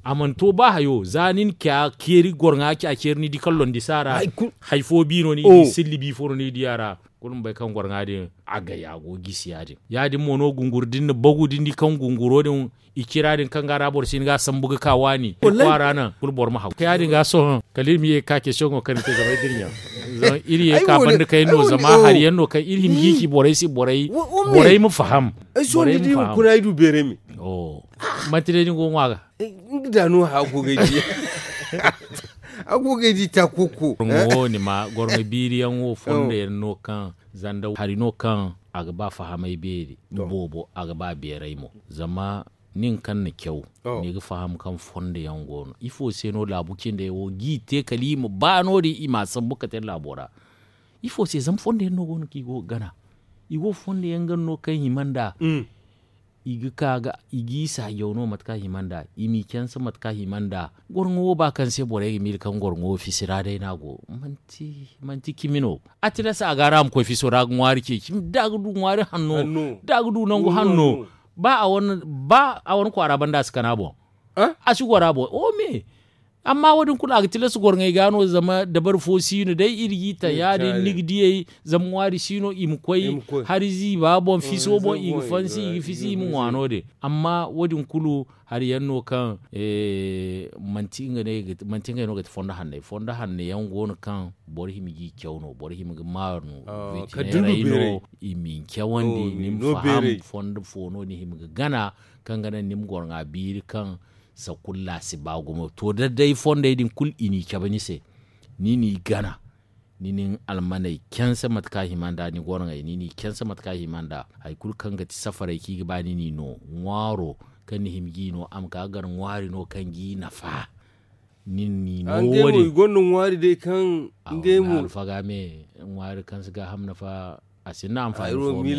A mana to ba hayo za ni na ciya ceeri gorŋa ciya ceeri ni di kaŋ londi si a ra. Hari fo bi no ni di silli bi fo no ni di a ra. Kulu ma bay kaŋ gorŋa din a gay a go gisi ya- din ya- din mo no gunguri da ni na bagu da ni di kaŋ gunguro din i cira din kaŋ ga a ra boro si hin ga a sambu ga ka waani kwaara naŋ kulu boro ma haw ya- din ga sohõ kala iri ma ye ga ka ceeciyaŋo kaŋ ni te zama ay dirɲa. Zama iri ye ga ka banda kayna no zama hari yaŋ no kaŋ iri hima ga i ci borey se borey ma faham. Borey ma faham. Manti day ni go ga ŋwa ga. Nga da no haya go ga ay di. A go ga ay di ta koko. Gorŋo wo ni ma gorŋo biiri yaŋ wo fondo yaŋ no kaŋ zanda hari no kaŋ a ga ba fahamay beeri boobo a ga ba beeray mo. Zama nin kaŋ na caw ni ga faham kaŋ fondo yaŋ go no ifo se no laabu cindey wo ga i te kala i ma ba no- din i ma a sambu kate laabo ra. Ifo se zama fondo yaŋ no go no kaŋ i go ga gana. I go fondo yaŋ gana no kaŋ hima nd'a i ga ka ga i g'i saajaw no mate kaŋ a hima nd'a i m'i canse mate kaŋ a hima nd'a. Gorŋo wo ba kaŋ se borey ga miila kaŋ gorŋo wo fisi ra day no a go. Manti cimi no. A tilas a ga a ra a ma koy fiso ra ga ŋwaari ceeci da a ga du ŋwaari hanno da a ga du nangu hanno. Ba a wane kwaara banda a si kana boŋ. A si goro a boŋ o me. Amma wo- din kulu a ga tilas gorŋey ga no zama dabari fo si no day iri g'i taŋ ya- din ni ga diyey zama ŋwaari si no i ma koy hari ziiba boŋ fiso boŋ i ga fansi i ga fisi i ma ŋwa no- din. Amma wo- din kulu hari yaŋ no kaŋ manti ngey no ga ti fondo hanney fondo hanne yaŋ go no kaŋ boro hima g'i caw no boro hima ga maaru no. Witineerey no i ma ni cawandi ni ma faham fondo fo no ni hima ga gana kaŋ ga naŋ ni ma gorŋa biiri kaŋ sakulla si ba gumo to da day fondey din kulu i n'i cabe ni se. Ni n'i gana ni nin almaney canse mate kaŋ a hima nd'a ni gorŋey ni n'i canse mate kaŋ a hima nd'a. Hari kulu kaŋ ga ti safarey kaŋ i ga ba ni n'i no ŋwaaro kaŋ ni hima g'i no a ma ka ga gar ŋwaari no kaŋ g'i nafa. Ni n'i no wo- din i gonda ŋwaari day kaŋ ngey mo alfaga me ŋwaari kaŋ si gaaham nafa. A sinda amfani fo me.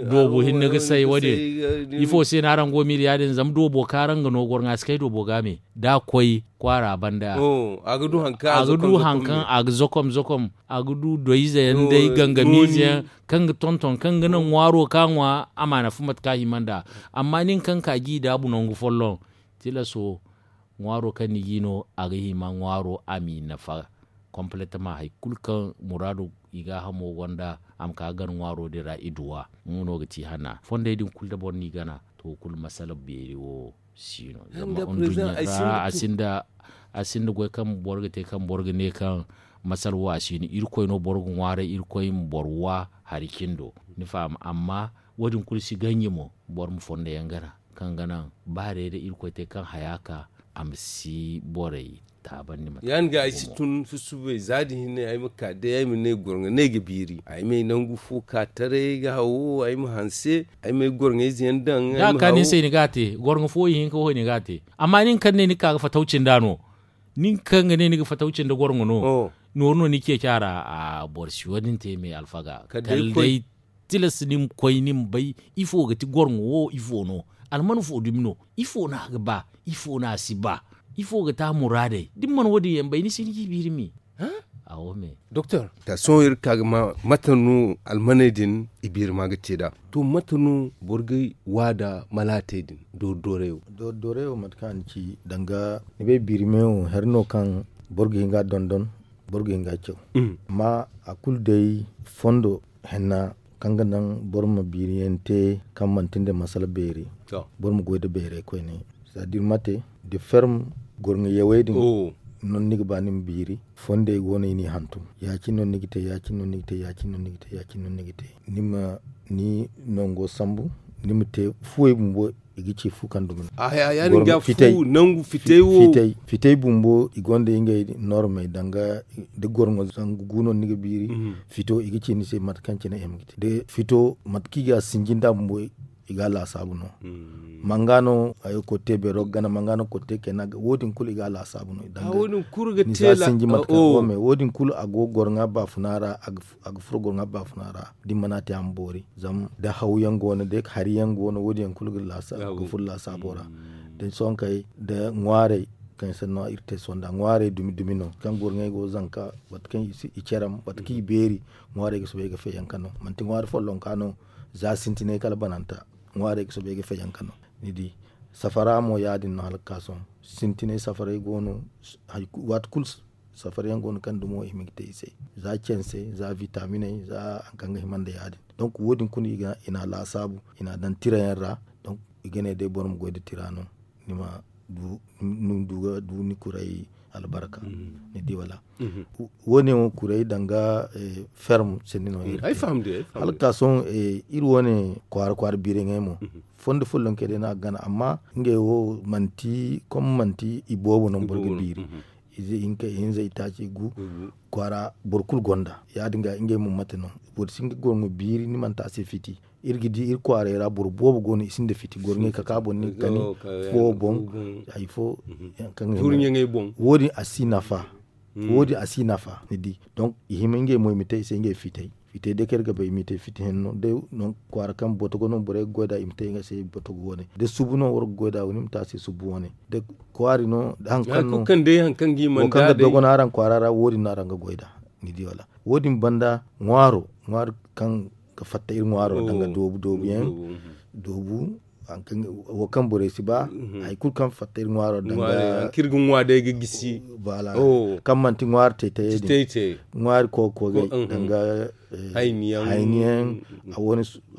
Doobo hinne ga say wo- din. Ifo se no araŋ go miila ya- din zama doobo kaŋ araŋ ga no gorŋa si kay doobo ga me da a koy kwaara banda. A ga du haŋ kaŋ a ga zakom zakom a ga du doyze yaŋ day gangamiize yaŋ kaŋ ga tonton kaŋ ga naŋ ŋwaaro kaŋ a ŋwa a ma nafa mate kaŋ a hima nd'a. Amma nin kaŋ ka g'i daabu nangu folloŋ tilaso ŋwaaro kaŋ ni g'i no a ga hima ŋwaaro a m'i nafa. Kompoletama hari kulu kaŋ muraadu i gaahamo gonda a ma ka ga gar ŋwaaro din ra i duw'a. Nga no ga ti hana fondey din kulu da boro n'i gana to kulu masala beeri wo si no. Zama nduɲɲa ra a sinda goy kaŋ boro ga te kaŋ boro ga ne kaŋ masala wo a si no irkoy no boro ga ŋwaaray irkoy ma boro wa hari cindo. Ni faham amma wo- din kulu si ganji mo boro ma fondo yaŋ gana kaŋ ga naŋ ba day da irkoy te kaŋ haya ka a ma si borey taabandi mate kaŋ. Ya- din ga ay si tun susubay za din hinne ay ma ka day ay ma ne gorŋo ne ga biiri ay ma ay nangu fo ka taray ay ga hawo ay ma hanse ay ma ay gorŋo ize yaŋ daŋ. Da a ka nin se i na ga a te gorŋo fo ihinka wo i na ga a te. Amma nin kaŋ ne ni ka ga fataw cinda no nin kaŋ ga ne ni ga fataw cinda gorŋo no nooru no ni ceeci a ra. Boro si wo- din te me alfaga kala day tilas ni ma koy ni ma bay ifo ga ti gorŋo wo ifo no? Alman fo dumi no? Ifo no a ga ba? Ifo no a si ba? Ifo ga ti a muraadey da ni mana wo- din yaŋ bay ni si ni ga i biiri me. Awo me. Doktor ta sohõ iri ga ka ga ma mate no almaney din i biiri ma ga te nd'a? To mate no boro ga wa nda malaatey din doori doorey wo? Doori doorey wo mate kaŋ a na ci danga ni bay biiri me wo hari no kaŋ boro ga hin ga a dondon boro ga hin ga a caw. Amma a kulu day fondo henna kaŋ ga naŋ boro ma biiriyaŋ te kaŋ manti nda masala beeri. Boro ma goy nda beeray koyne c'est à dire mate de ferme gorŋo yawey din. no ni ga ba ni ma biiri. Fondey go no i n'i hantum. Ya- cine no ni ga te ya- cine no ni ga te ya- cine no ni ga te ya- cine no ni ga te. Ni ma ni nango sambu. Ni ma te fuwey bumbo. I ga ci fu kaŋ dumi no. A ya- ya- din ga fu nangu fitey wo. Fitey bumbo i gonda ngey normey danga da gorŋo zangu gu no ni ga biiri. Fito i ga ci ni se mate kaŋ cine i ma ga te da fito mate kaŋ i ga sinji nd'a bumbo. I ga a laasaabu no. Manga no hayo kotte beero ga gana manga no kotte kayna ga wo- din kulu i ga a laasaabu no. Ni si a sinji mate kaŋ wo- me wo- din kulu a go gorŋa baafuna ra. A ga furo gorŋa baafuna ra da ni mana te a ma boori. Zama da hawyaŋ go no da hari yaŋ go no wo- din yaŋ kulu ga furo laasaabo ra. Da sohõ kay da ŋwaarey kaŋ sanno iri te sohõ nda ŋwaarey dumi dumi no kaŋ gorŋey go zanka mate kaŋ i caram mate kaŋ i beeri. Ŋwaarey ga soobay ga feeyaŋ ka no manti ŋwaari follonka no. Za sintinay kala bananta ŋwaarey ga soobay ga feeyaŋ ka no. Ni di safara mo ya- din no hala ga ka sohõ sintinay safaray go no. Waati kulu safar yaŋ go no kaŋ dumo i ma ga te i se za canse za vitaminey za hari kaŋ ga hima nda ya- din. Donk wo- din kulu i n'a laasaabu i n'a daŋ tira yaŋ ra. Donk i ga ne day boro ma goy nda tira no ni ma du ni kuray albarka. Ni di wala wo- ne wo kuray danga ferm sanni no iri te. Hala ga ka sohõ iri wo- ne kwaara kwaara biiriyaŋey mo fondo follonkey day no a ga gana amma ngey wo manti kom manti i boobo no boro ga biiri. Ize hinka ihinza itaaci gu kwaara boro kulu gonda. Ya- din ga ngey mo mate no boro si hin ga gorŋo biiri ni manti a se fiti. Iri ga di iri kwaaray ra boro boobo go no i sinda fiti gorŋey ka ka boŋ ni ga kani fo boŋ hari fo. Kaŋ ga hima wo- din a si nafa. Wo- din a si nafa ni di. Donk i hima ngey mo i ma te i se ngey fitey. Fitey day kaŋ iri ga bay i ma i te fiti henno day. Kwaara kaŋ botogo no borey ga goy nd'a i ma te nga se botogo wane da subu no war ga goy nd'a wane i ma te a se subu wane da kwaari no da hari kaŋ no wo kaŋ ga dogon araŋ kwaara ra wo- din no araŋ ga goy nd'a. Ni di wala wo- din banda ŋwaaro ŋwaari kaŋ ga fatta iri ŋwaaro danga doobu doobu yaŋ. Doobu wo kaŋ borey si ba hari kulu kaŋ fatta iri ŋwaaro danga kaŋ manti ŋwaari taytayey din ŋwaari kookogey danga hayni yaŋ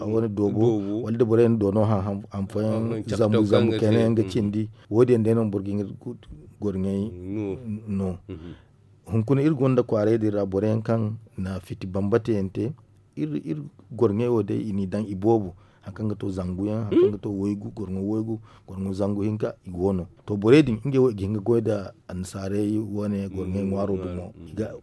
a wane doobo wala da borey na doono hanfooyaŋ zambu zambu kayna yaŋ ga cindi. Wo- din yaŋ day no boro ga hin ga gorŋey no. Hunkuna iri gonda kwaaray din ra boro yaŋ kaŋ na fiti bambata yaŋ te iri gorŋey wo day i n'i daŋ i boobo hari kaŋ ga to zangu yaŋ hari kaŋ ga to waygu gorŋo waygu gorŋo zangu hinka i go no. To borey din ngey wo i ga hin ga goy nda annasaarey wane gorŋey ŋwaaro dumo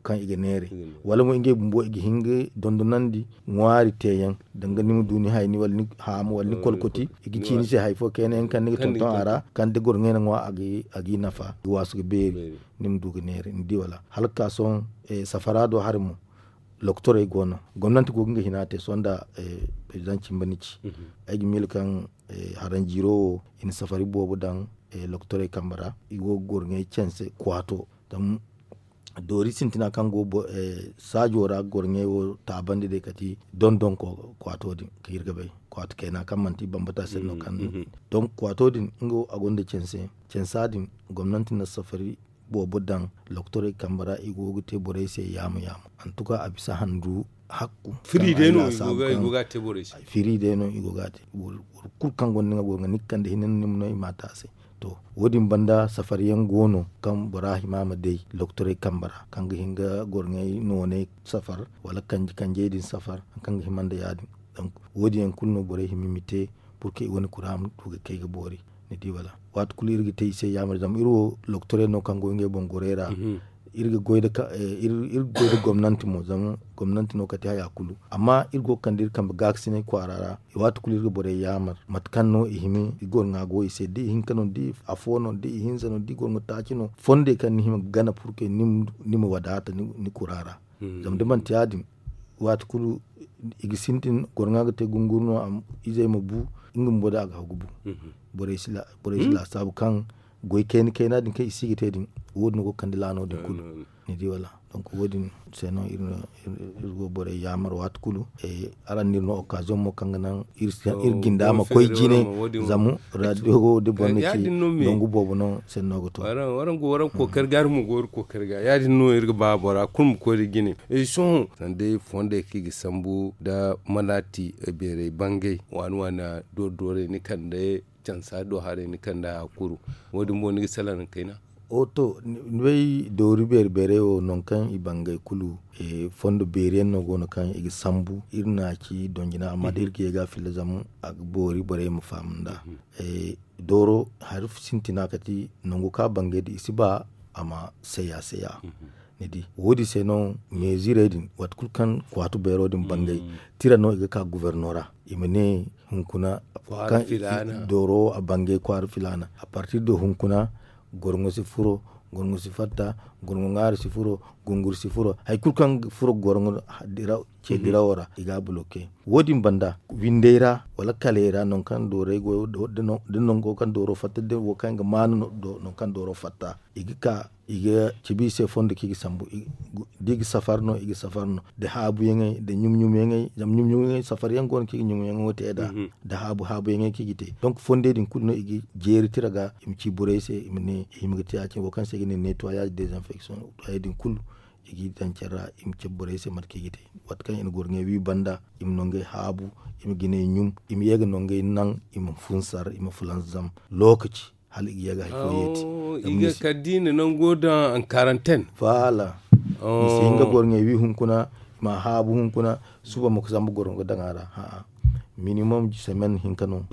kaŋ i ga neeray wala mo ngey bumbo i ga hin ga dondonandi ŋwaari teeyaŋ danga ni ma du ni hayni wala ni haamu wala ni kolkoti i ga ci ni se hari fo kayna yaŋ kaŋ ni ga tonton a ra kaŋ da gorŋey na ŋwa a g'i nafa ga waasu ga beeri. Ni ma du ga neeray ni di wala hala ga ka sohõ safara do hari mo. Lokotorey go no gomnanti go ga nga hina te sohõ nda president cimba ni ci ay ga miila kaŋ haranjiiro wo i na safari boobo daŋ lokotorey kambe ra i go ga gorŋey canse kwaato. Zama doori sintina kaŋ go saajo ra gorŋey wo taabandi day kati dondon kwaato din kaŋ iri ga bay kwaato kayna kaŋ manti bambata se no kaŋ donk kwaato din nga wo a gonda canse. Cansa din gomnanti na safari boobo daŋ lokotorey kambe ra i go ga te borey se yaama yaama. Antuka a bisa handu hakku firi day no i go ga te borey se. Firi day no i go ga te boro kulu kaŋ gonda nga gorŋo ni ga kande hinne no ni ma no i ma te a se. To wo- din banda safari yaŋ go no kaŋ bora hima ma day lokotorey kambe ra kaŋ ga hin ga gorŋey nooney safar wala kanji kanjey din safar hari kaŋ ga hima nda ya- din. Donk wo- din yaŋ kulu no borey hima i ma te purke i wane kura ma du ga kay ga boori. Ni di wala waati kulu iri ga te i se yaamar zama iri wo lokotorey no kaŋ go ngey boŋ gorey ra. Iri ga goy nda gomnanti mo zama gomnanti no kate haya kulu amma iri go ga kande iri kambe gaakasinay kwaara ra. Waati kulu iri ga borey yaamar mate kaŋ no i hima i gorŋa go i se da i hinka no da afo no da ihinza no da i gorŋo taaci no fondey kaŋ ni hima ga gana purke ni ma wadaata ni kura ra. Zama da manti ya- din waati kulu i ga sintin gorŋa ga te gunguru no izey ma bu nga bumbo da a ga hagu bu. Borey si laasaabu kaŋ goy kayna kayna din kaŋ i si ga te din wo- din go ga kande laano din kulu. Ni di wala donk wo- din se no iri go borey yaamar waati kulu. Araŋ no iri no occasion mo kaŋ ga naŋ iri jinda ma koy jine zama radio wo da boro na ci nangu boobo no senno ga to. Waraŋ go waraŋ kookari ga iri ma go iri kookari ga ya- din no iri ga ba bora kulu ma koy da jine. Sohõ sanda fondey kaŋ i ga sambu nda manaati beerey bangay waani waani doori doorey ni kande cansa do haray ni kande a kuru. Wo- din mo ni ga salaŋ kayna O to, ni bay doori beeri beerey wo nangu kaŋ i bangay kulu, fondo beeri yaŋ no go no kaŋ i ga sambu iri na a ci donjina amma da iri ga ye ga a filla zama a ga boori borey ma faham nd'a. Dooro hari sintina kati nangu kaŋ a bangay da i si ba a ma saya saya. Ni di wo- din se no meezirey din waati kulu kaŋ kwaatu beero din bangay, tira no i ga ka guverno ra, i ma ne hunkuna kaŋ dooro wo a bangay kwaara filaana a partir de hunkuna gorŋo si furo, gorŋo si fatta, gorŋo ŋwaari si furo, gunguri si furo, hari kulu kaŋ ga furo gorŋo ce dirawo ra i ga a buloke. Wo- din banda windey ra wala kaley ra nangu kaŋ doorey go da nango kaŋ dooro fatta da wo kaŋ ga maanu nangu kaŋ dooro fatta i ga ka i ga cabe i se fondo kaŋ i ga sambu. Da i ga safar no i ga safar no da haabu yaŋey da ɲum ɲum yaŋey zama ɲum ɲum yaŋey safar yaŋ go no kaŋ i ga ɲum ɲum yaŋo te nd'a da haabu haabu yaŋey kaŋ i ga te. Donk fondey din kulu no i ga jeeri tira ga i ma ci borey se i ma ne i hima ga te ya- cine wo kaŋ se i ga ne nettoyage desinfection. Hayey din kulu i g'i daŋ care ra i ma cabe borey se mate kaŋ i ga te. Waati kaŋ i na gorŋey wi banda i ma nangey haabu, i ma jinay ɲum, i ma ye ga nangey naŋ, i ma funsar i ma fulanzam lookaci hala i ga ye ga hari fo yeeti. I ga kala da i na nango daŋ ankaranten. Voilà. I si hin ga gorŋey wi hunkuna, i ma a haabu hunkuna, suba ma ga sambu gorŋo ga daŋ a ra. Minimum semaine hinka no.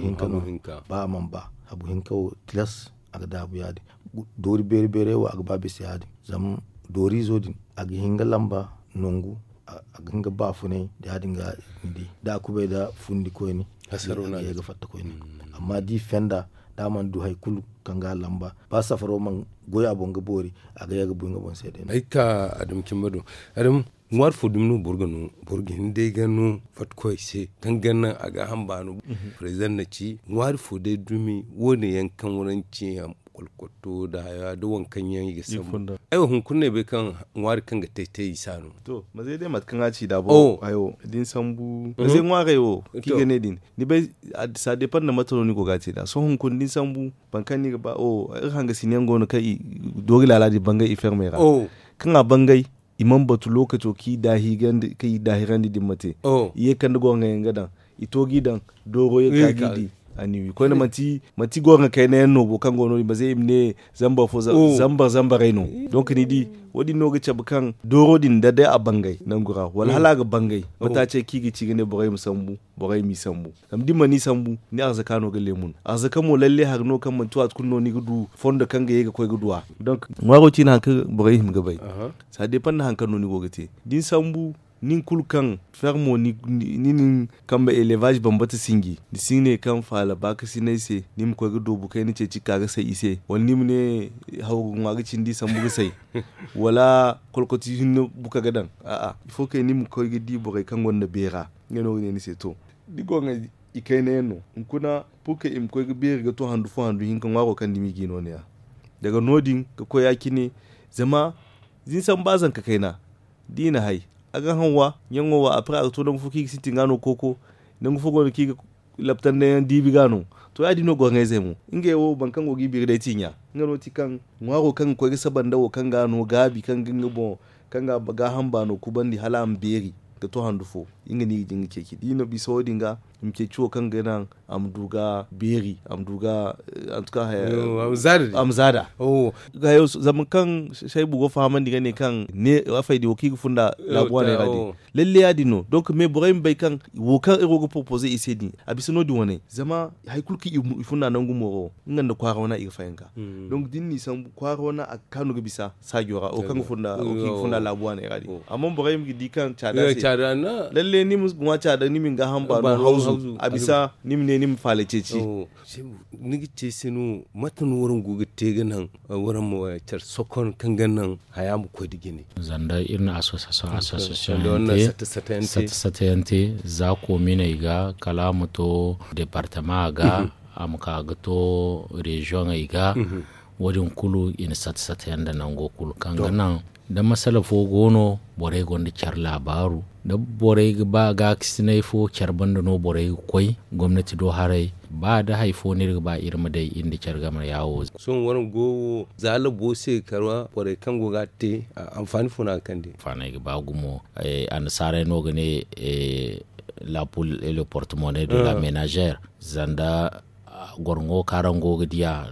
Ba a mana ba habu hinka wo tilas a ga daabu ya- din. Doori beeri beerey wo a ga ba bisa ya- din zama dooriizo din a ga hin ga lamba nangu, a ga hin ga baafunay. Ya- din ga ni di da a kubay nda fundi koyne a ga ye ga fatta koyne. Amma da i fenda da a mana du hari kulu kaŋ ga a lamba ba safaro mana goy a boŋ ga boori a ga ye ga bu nga boŋ se day no. Ay ga ka adamu cimba do. Adamu ŋwaari fo dumi no boro ga no boro ga hin day ga no fatta koy se kaŋ ga naŋ a ga hamba no. President na ci ŋwaari fo day dumi wo- ne yaŋ kaŋ waraŋ ci kolkoto nda haya nda waŋ kaŋ yaŋ i ga sambu. Aywa hunkuna no ay bay kaŋ ŋwaari kaŋ ga tay tay i si a no. To mazey day mate kaŋ a ci da boro ayo da ni sambu mazey ŋwaarey wo kaŋ i ga ne din ni bay. Ça dépend nda mate no ni go ga a te nd'a sohõ hunkuna da ni sambu boro kaŋ no i ga ba iri hangasina yaŋ go no kaŋ i doori laala din bangay i ferme ra kaŋ a bangay i mana batu lookaco kaŋ i daahirandi din ma te. I ye ga kande gorŋa yaŋ ga daŋ i to g'i daŋ dooro ye ga ka g'i di. A ni wi koyne manti gorŋa kayna yaŋ no boro kaŋ go no- din ba se i ma ne zambar fo zambar zambarey no. Donk ni di wo- din no ga cabe kaŋ dooro din da day a bangay nangu ra wala hala a ga bangay mate a ce kaŋ i ga ci ga ne borey ma sambu borey m'i sambu. Zama da i mana i sambu ni arzaka no ga leemun arzaka mo lalle hari no kaŋ manti waati kulu no ni ga du fondo kaŋ ga ye ga koy ga du a. Donk ŋwaaro ciine hari kaŋ borey hima ga bay. Saa deepan nda hari kaŋ no ni go ga te da ni sambu nin kulu kaŋ fermo ni nin kambe elevaz bambata sinji ni si ne kaŋ faala baakasinay se ni ma koy ga doobu kayna ceeci ga ka ga say i se wala ni ma ne hawru ŋwa ga cindi sambu ga say wala kolkoti hinne buka ga daŋ. A'a ifo kay ni ma koy ga di borey kaŋ gonda beera nga no ga ne ni se to da i go ga i kayna yaŋ no hunkuna purke i ma koy ga beeri ga to handu fo handu hinka ŋwaaro kaŋ dumi ga i no ne- ya daga no- din ga koy ya- cine zama da ni sambu ba zanka kayna da i na hay a ga haŋ wa ɲaŋo wa après a ga to nangu fo kaŋ i ga sintin ga no kooko nangu fo go no kaŋ i ga laptanday yaŋ diibi ga no. To ya- din no gorŋayzey mo ngey wo boro kaŋ go ga i biri day ti ɲa nga no ti kaŋ ŋwaaro kaŋ ga koy ga saba nda wo kaŋ ga no gaabi kaŋ ga nga boŋ kaŋ ga gaaham baano kubandi hala a ma beeri ga to handu fo nga no i ga jin ga ceeci da i na bisa wo- din ga i ma ceeci wo kaŋ ga naŋ a ma du ga beeri a ma du ga a ma za da. Zama kaŋ saybu go fahamandi ga ne kaŋ ne afay din wo kaŋ i ga funda laabu waaney ra din lalle ya- din no donk mais borey ma bay kaŋ wo kaŋ iri wo ga poropoze i se din a bisa no- din wane zama hari kulu kaŋ i funda nangu mooro nga nda kwaara wana i ga fayanka. Donk da ni n'i sambu kwaara wana a ga kaanu ga bisa saajo ra wo kaŋ ga funda laabu waaney ra din amma borey ma ga di kaŋ caada se lalle ni ma ŋwa caada ni ma ni gaaham baano hawzu a bisa ni ma ne ni ma faala ceeci. Ni ga te se no mate no waraŋ go ga te ga naŋ waraŋ ma care sokon kaŋ ga naŋ haya ma koy da jine. Zanda iri na association association sata sata yaŋ te za kominey ga kala a ma to departement ga a ma ka ga to reziyoŋey ga wo- din kulu i na sata sata yaŋ nda nango kulu kaŋ ga naŋ da masala fo go no borey gonda care laabaaru da borey ga ba gaakasinay fo care banda no borey ga koy gomnati do haray ba da hari fo no iri ga ba iri ma day iri nda care game yaawo. Sohõ waraŋ go wo za labo se kala borey kaŋ go ga a te anfaani fo no a ga kande? Anfaaney ga ba gumo. Annasaarey no ga ne la poule et le porte monnaie de la ménagère. Zanda gorŋo kaŋ araŋ go ga diya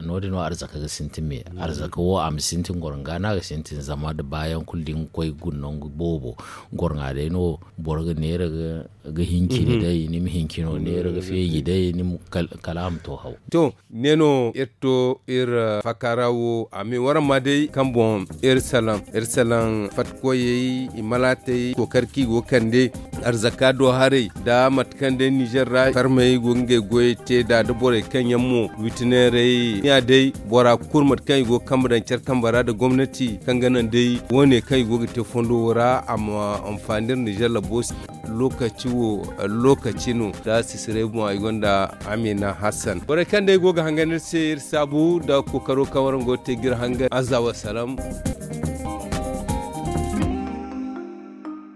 No- din no arzaka ga sintin me. Arzaka wo a ma sintin goro nga no a ga sintin zama da baayaŋ kulu da ni ga koy guna nangu boobo. Goro ŋwa day no boro ga neera ga hincini day ni ma hincino neera ga feeji day ni ma kala a ma to haw. To ne no iri to iri fakara wo a ma i waramma day kaŋ boŋ iri salaŋ iri salaŋ fatta koyey i malaatey kookari kaŋ i go ga kande arzaka do haray da mate kaŋ day ninzeer ra farmey go ga ngey goyey te nd'a da borey kaŋ yaŋ mo witineerey ya day bora kulu mate kaŋ i go ga kambe daŋ care kambe ra nda gomnati kaŋ ga naŋ day wo- ne kaŋ i go ga te fondo wo ra a ma anfaani iri ninzeer labo se. Lookaci wo lookaci no da sisiray boŋ ay gonda amina hassan borey kaŋ day go ga hangan iri se iri saabu nda kookaro kaŋ waraŋ go ga te ga iri hangan aza wa salaam.